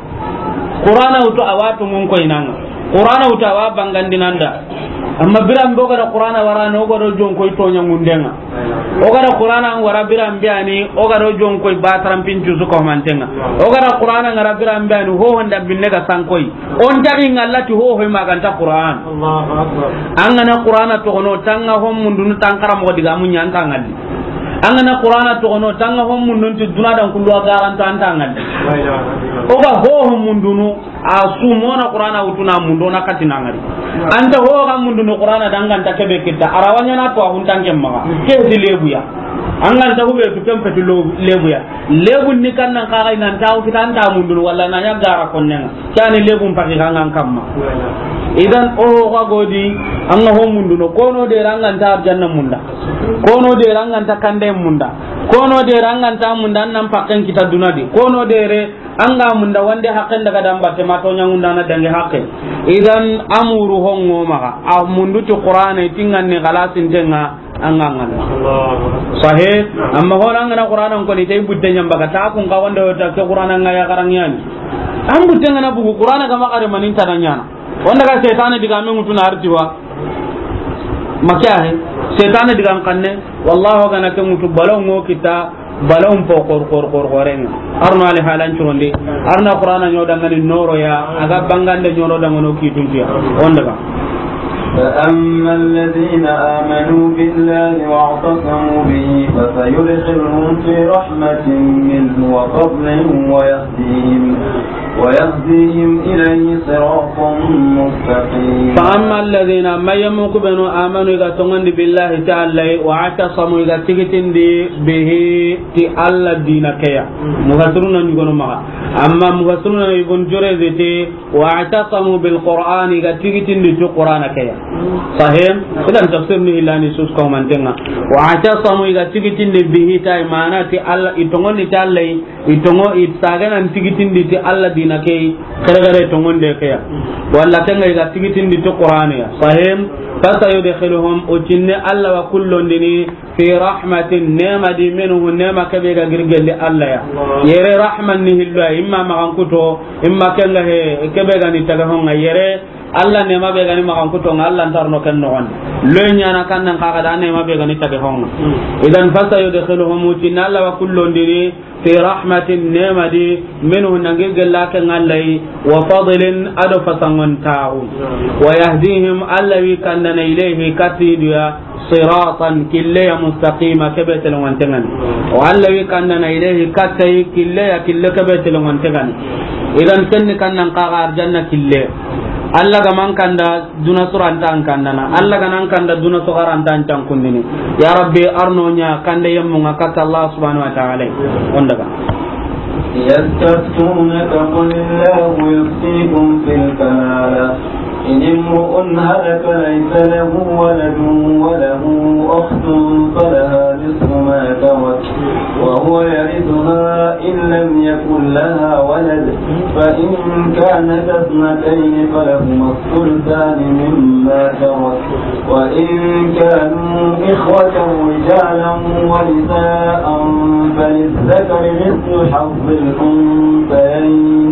Qur'ana wutu a wa tungun koynan ŋa. Qur'ana wutu a wa bangandinanda. Amma biran be o ga da Qur'ana wara ni, o ga do jonkoy toɲa ŋunden ŋa. O ga da Qur'ana wara biran be ani, o ga do jonkoy ba tarampin cusu ko manten ŋa. O ga da Qur'ana ngara biran be ani, ho honda binne ga sankoy. On tagi ngallati ho hoy maganta Qur'an. Allahu Akbar. An gana Qur'ana togono, tanga hon mundunu tan kara mo diga mun ɲa anta ngalli. An gana Qur'ana togono, tanga hon mundunu ti duna dan kullu a garanta anta ngalli. La ilaha illallah. O ga ho hon mundunu, a sumona Qur'ana wutuna mundo na katina ngari. Anta ho ga mundunu Qur'ana danganta kebe kitta. Arawaɲa na to a huntan kemma. Ke di lebuya. An ganta hube tu kempe tu lo-, lebuya. Lebun ni kannan kaga inan tawo kita anta mundunu walla na ɲa gara konnen ŋa. Kani lebun paki kangan kamma. Idan o ga godi an ga ho munduno, kono de ranganta arjanna munda. Kono de ranganta kande munda. Kono de ranganta munda nan pakken kita dunadi. Kono de re an ga munda wande hakken daga dan batte ma to ɲangunda na dange hakke. Idan amuru hongo maga. A mundu ti Qur'ana tingan ni galasin tenga. An ga ngana. Allahu Akbar. Sahih. Amma hona ngana Qur'ana ko ni tay butte ɲamba ka ta kun ka wanda wata ke Qur'ana nga ya garang yani. An butte ngana bugu Qur'ana ga ma kare manin tananyana. Wanda ga setane diga men mutuna artiwa. Makya he. Setane digan kanne, wallahu gana ke ŋutu balaw ŋo kita, balaw po xor, xor, xor, xorenga. Arno ali halan curondi, arna Qur'ana ɲo dangani noro ya, aga bangande ɲoro dangano kituntiya. On daga. فأما الذين آمنوا بالله واعتصموا به فسيدخلهم في رحمة منه وفضل ويهديهم ويهديهم إليه صراطا مستقيما. فأما الذين، ما يمكن بنو آمنوا إذا تنغن بالله تعالى واعتصموا إذا تيغتين دي به تي الله دينا كيا. مفسرون نيغونو مغا. أما مفسرون ابن جريج تي واعتصموا بالقرآن إذا تيغتين دي تي قرآن كيا. صحيح؟ إذا تفسير نهلاني سوس كومانتنا. واعتصموا إذا تيغتين دي به تاي معنى تي الله إتنغن تعالى I tonŋo, i taganan tigitindi ti Alla dina ke, xerexere tonŋonde ke ya. Walla kenga i ga tigitindi ti Qur'ane ya. Sahim, fasayudkhiluhum, o cinne Alla wa kullondini, fi rahmatin, nema di, minhu, nema kebe ga giri gelli Alla ya. Yere rahman ni hillo ya, imma maxan kuto, imma kenga he, kebe ga ni taga honga yere, Alla nema be ga ni maxan kuto nga Alla ntarno ken noxon. Lo ɲana kannan kaga da nema be ga ni taga honga. Idan fasayudkhiluhum, o cinne Alla wa kullondini, fi rahmatin, nema di, minhu, nangi gella ke nga Alla yi, wa fadlin, ado fasangon taxu. Wa yahdihim, Alla wi kandana, ilayhi, katiduya, siratan, kille ya, mustaqima, kebe telongon tengani. Wa Alla wi kandana, ilayhi, katai, kille ya, kille kebe telongon tengani. Idan kenni kannan kaga arjanna kille. Alla ga man kanda duna suranta an kandana. Alla ga nan kanda duna sogaranta an cankundini. Ya Rabbi, arno ɲa kande yemmunga katta Allah subhanahu wa ta'ala. On daga. يستفتونك قل الله يفتيكم في الكلالة إن امرؤ هلك ليس له ولد وله أخت فلها نصف ما ترك وهو يرثها إن لم يكن لها ولد فإن كانتا اثنتين فلهما الثلثان مما ترك وإن كانوا إخوة رجالا ونساء فللذكر مثل حظ الأنثيين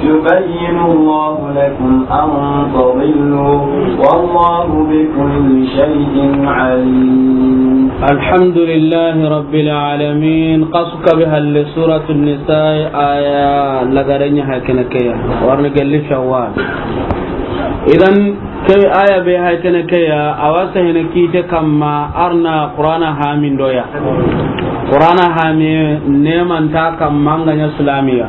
يبين الله لكم أن تضلوا والله بكل شيء عليم. الحمد لله رب العالمين. Kasu kabe halle Suratun Nisa aya lagarenya hakene keya. Warne gelli Shawwal. Idan ke aya be hay kene ke ya, a wa sehene kite kamma arna Qur'ana hami ndoya. Qur'ana hami nemanta kamma nga ɲa Islamiya.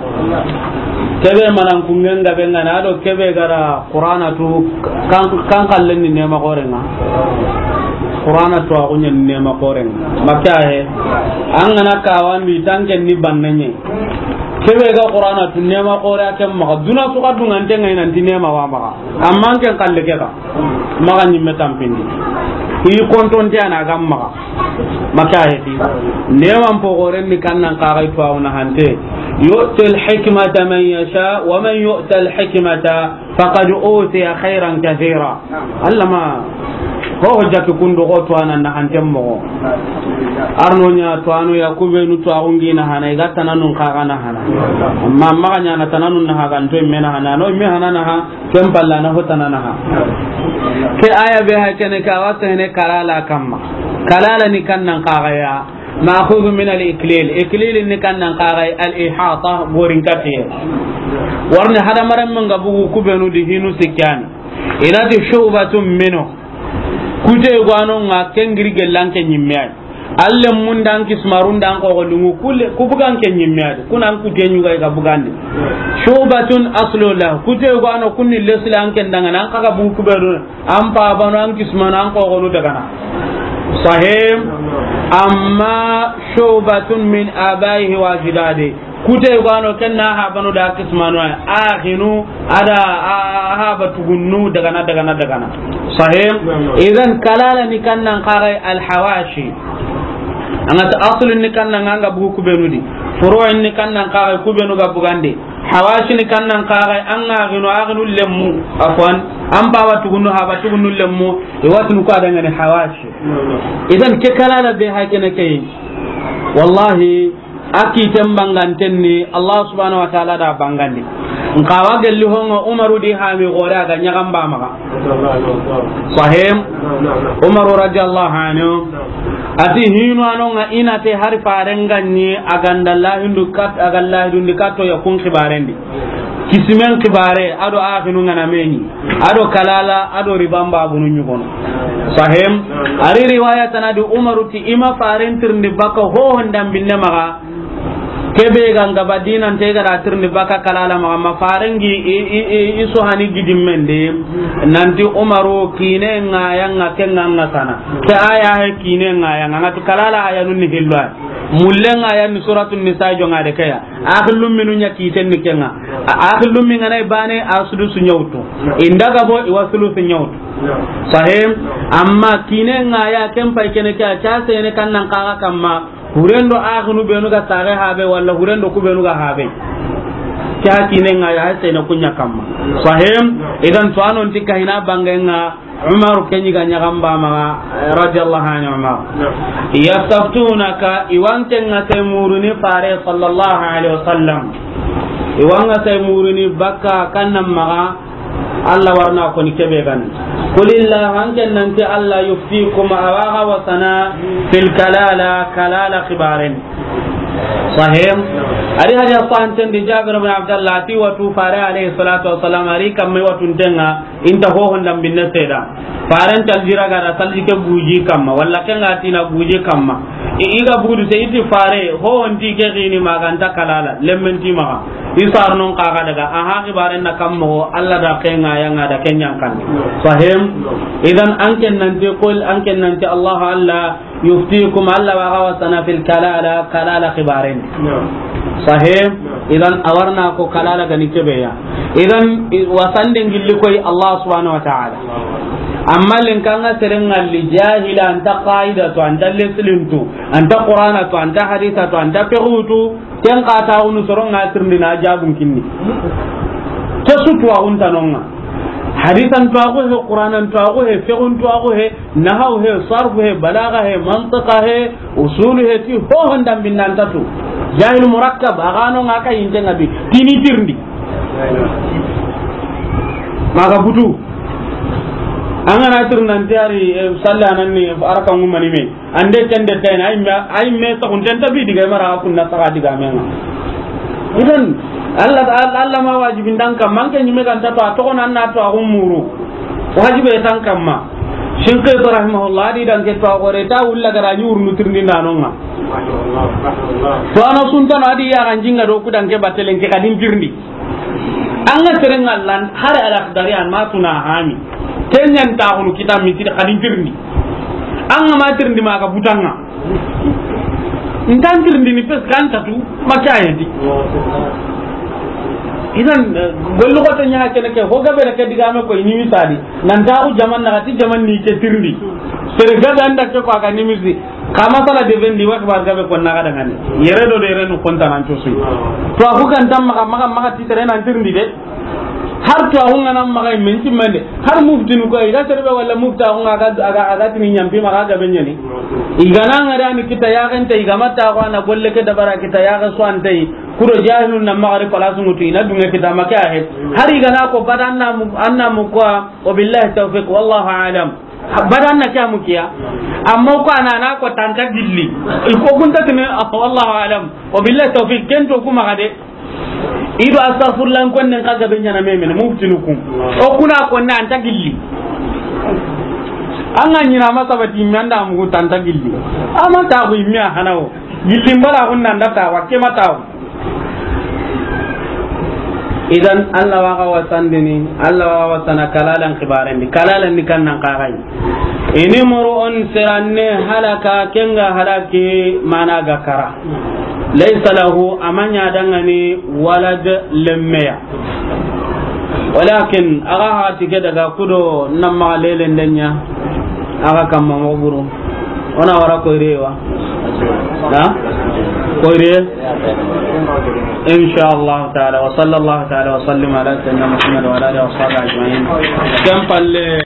Kebe manan kungen gabe nga na do kebe gara Qur'ana tu kan, kan kallen ni nema korenga. Qur'ana tu a kunya ni nema korenga. Makka he. An gana kawan bi tanken ni bannanye. Kebe ga Qur'ana tu nema kore a ken maxa. Duna su ga dungante ngai nanti nema wa maxa. Amma an ken kalle ke ga. Maxa ɲimme tampindi. I kontonte ana ga maxa. Maka heti. Neman pogoren ni kannan kagai to awna hante. Yu'til hikmata man yasha, wa man yu'tal hikmata faqad utiya khairan kathira. Alla ma ho hojja ke kundo ko to anan na hantem mo. Arno ɲa to ano ya kubenu to agungi na hana i ga tananun kaga na hana. Amma maga ɲa na tananun na haga nto me na hana no me hana na ha ken palla na ho tanana ha. Ke aya be ha kene ka wa sene kalala kamma. Kalala ni kannan kaga ya. Ma'khudhu min al-iklil. Iklil ni kannan kaga al-ihata gorin kafiye. Warni hadamaren mun ga bugu kubenu di hinu sikani. Inati shu'batun minhu. Kute gwano nga kengiri gellan ke nyimme ay. Alle mun dan kismarun dan ko golungu kulle ku bugan ke nyimme ay. Kunan kute nyuga ga bugande. Shu'batun aslu la. Kute gwano kunni leslan ken danga nan kaga bugu kubenu. An pabanu an kismanu an kogonu dagana. Sahim. Amma shu'batun min abaihi wa ajdadi. Kute gano kenna habanu da kismanu ay. Akhinu ada a-, a-, haba tugunnu dagana, dagana, dagana. Sahim. Idan kalala ni kannan kagai al hawashi. Anga ta aslun ni kannan anga bugu kubenu di. Furu'in ni kannan kagai kubenu ga bugande. Hawashini kannan kagai an ga gino a ginu lemmu, afwan, an baba tugunu haba tugunu lemmu, i watunu ko adangani hawashi. Idan ke kalala be hakene ke. Wallahi, a kiten banganten ni Allah subhanahu wa ta'ala da bangandi. Nxa wa gelli honŋa Umaru di hami gore a ga ɲaxan ba maxa. Sahim. Umaru radiyallahu anhu. A ti hinu a no ŋa i na te hari faren ga ɲi a ga nda lahidu kat-, a ga lahidundi katto ya kun xibaren di. Kisimen xibare, a do axinu ŋa na me ɲi, a do kalala, a do riban babunu ɲugono. Sahim. A ri riwaya tana di Umaru ti i ma faren tirindi baka ho hondan binne maxa. Kebe ga nga ba dinante ga da tirindi baka kalala maxa, ma farengi i, i, i, i so hani gidimmen de. Nanti Umaru kine ŋa ya ŋa ke ŋa ŋa sana. Ke aya he kine ŋa ya ŋa, ŋa ti kalala aya nun ni hillo ay. Mulle ŋa ya ni Suratun Nisa jo ŋa de ke ya. Axillum minu ɲa kiten ni ke ŋa. A-, axillum mi ŋa na i bane a sudusu ɲa wutu. Inda ga bo i wa sulusu ɲa wutu. Sahim. Amma kine ŋa ya ken pay kene ke a ca sene kan nan kaga kamma. Hurendo axinu benu ga sage habe, walla hurendo ku benu ga habe. Ke ha kine ŋa ya, ha sene kunya kamma. Sahim. Idan to anon ti kahina bange ŋa, Umar ke ɲi ga ɲaxan ba maxa, radiyallahu anhu Umar. Yastaftunaka, i wa nke ŋa sai muruni fare sallallahu alaihi wasallam. I wa nga sai muruni baka kannan maxa, Allah warna ko ni kebe gan. Qulillah, hanken nanti Allah yuftikum, a wa ga wasana fil kalala, kalala xibaren. Sahim. Ari hadi asan ten di Jabir bin Abdullah ti watu fare alayhi salatu wassalam, ari kamme watu ntenga, inta ho honda binne seda. Faren taljira ga da salji ke guji kamma, walla ke nga tina guji kamma. I, i ga budu se iti fare, ho honti ke gini maganta kalala, lemmen ti maxa. I sarnon kaga daga, aha xibaren na kammo, Allah da ke nga ya nga da ke ɲankan. Sahim. Idan anken nanti qul, anken nanti Allah, Allah yuftikum, Allah wa ga wasana fil kalala, kalala xibaren. Sahim. Idan a warna ko kalala gani kebe ya. Idan i-, wasande ngilli koy Allah subhanahu wa ta'ala. Amma len kanga serengalli jahila anta qaida to, anta leslin to, anta Qur'ana to, anta hadisa to, anta fiqhu to, ken ka ta unu soronga tirndi na jabun kinni. Ke su to agun tanonga. Hadisan to agu he, Qur'anan to agu he, fiqhun to agu he, nahaw he, sarfu he, balaga he, mantiqa he, usulu he, ti ho honda binnanta tu. Jahil murakkab, agano nga ka yinte nga bi. Tini tirndi. Maga butu. Angana tirnanti ari, eh, salla nan ni araka ngumani me. Ande ken de tayna, ay me, ay me sa kun tenta bi diga mara kunna saga diga menga. Idan, Allah, Allah, Allah ma wajibin dan kam, manke nyime kan ta to, a to nan na to a gumuru. Wajibe tan kamma. Shinqiti rahimahullah, di dan ke to a gore ta ulla gara nyur nu tirndi nanonga. To ano sunta na di ya ganjinga do ku dan ke batelen ke kadin tirndi. An ga seren Allah, hari Al-Akhdari an ma tuna hami. Kenyan ta hunu kita mi ti kadin tirndi. An ga ma tirndi ma ga butanga. Ntan tirndi ni pes kan tatu, ma kya yedi. Idan, eh, gollu ko to nya kene ke, ho ga bere ke diga me ko ini misali. Nan ta ku jaman na ti jaman ni ke tirndi. Sere ga dan da ke ko aga ni misi. Kama sala de vendi wa ba ga be ko na ga dangane. Yere do de yere nu konta nan to su. To aku kan tam maka, maka, maka ti tere nan tirndi de. Har to a hunga nan maxa men timmande. Har muftinu ko, i ga terbe wala mufta hunga ga, aga, aga tini nyampi maxa ga benyani. I ga na ngara ni kita ya gente, i ga mata ko na golle ke dabara kita ya ga swante. Kuro jahilun na maxa ri palasu mutu ina dunga kita maka he. Har i ga na ko badan na mu, anna mu ko, wa billahi tawfiq, wallahu a'lam. Badan na kya mukiya. Amma ko ana na ko tanta gilli. I ko kunta tini, wallahu a'lam. Wa billahi tawfiq, kento kuma ga de. Ido astaghfirullah, kon nen ka gabe ɲana memene, muftinu kun. O kuna ko na anta gilli. An ga ɲina ma sabati mi anda mu ta anta gilli. Ama ta ku mi a hanawo. Gilli mbala kun nan da ta wa ke ma ta. Idan Allah wa ga wasandini, Allah wa ga wasana kalalan xibarendi, kalalan ni kan nan kaxay. Ini muru on siranne halaka, kenga halaki mana ga kara. Laysa lahu, a ma ɲa dangani walad, lemmeya. Walakin, aga hati ke daga kudo namma lelen denya, aga kamma mo buru. Ona wara koyre wa? Ha? Koyre? Insha Allah ta'ala. Wa sallallahu ta'ala wa sallim ala sayyidina Muhammad wa ala alihi wa sahbihi ajma'in. Kan palle.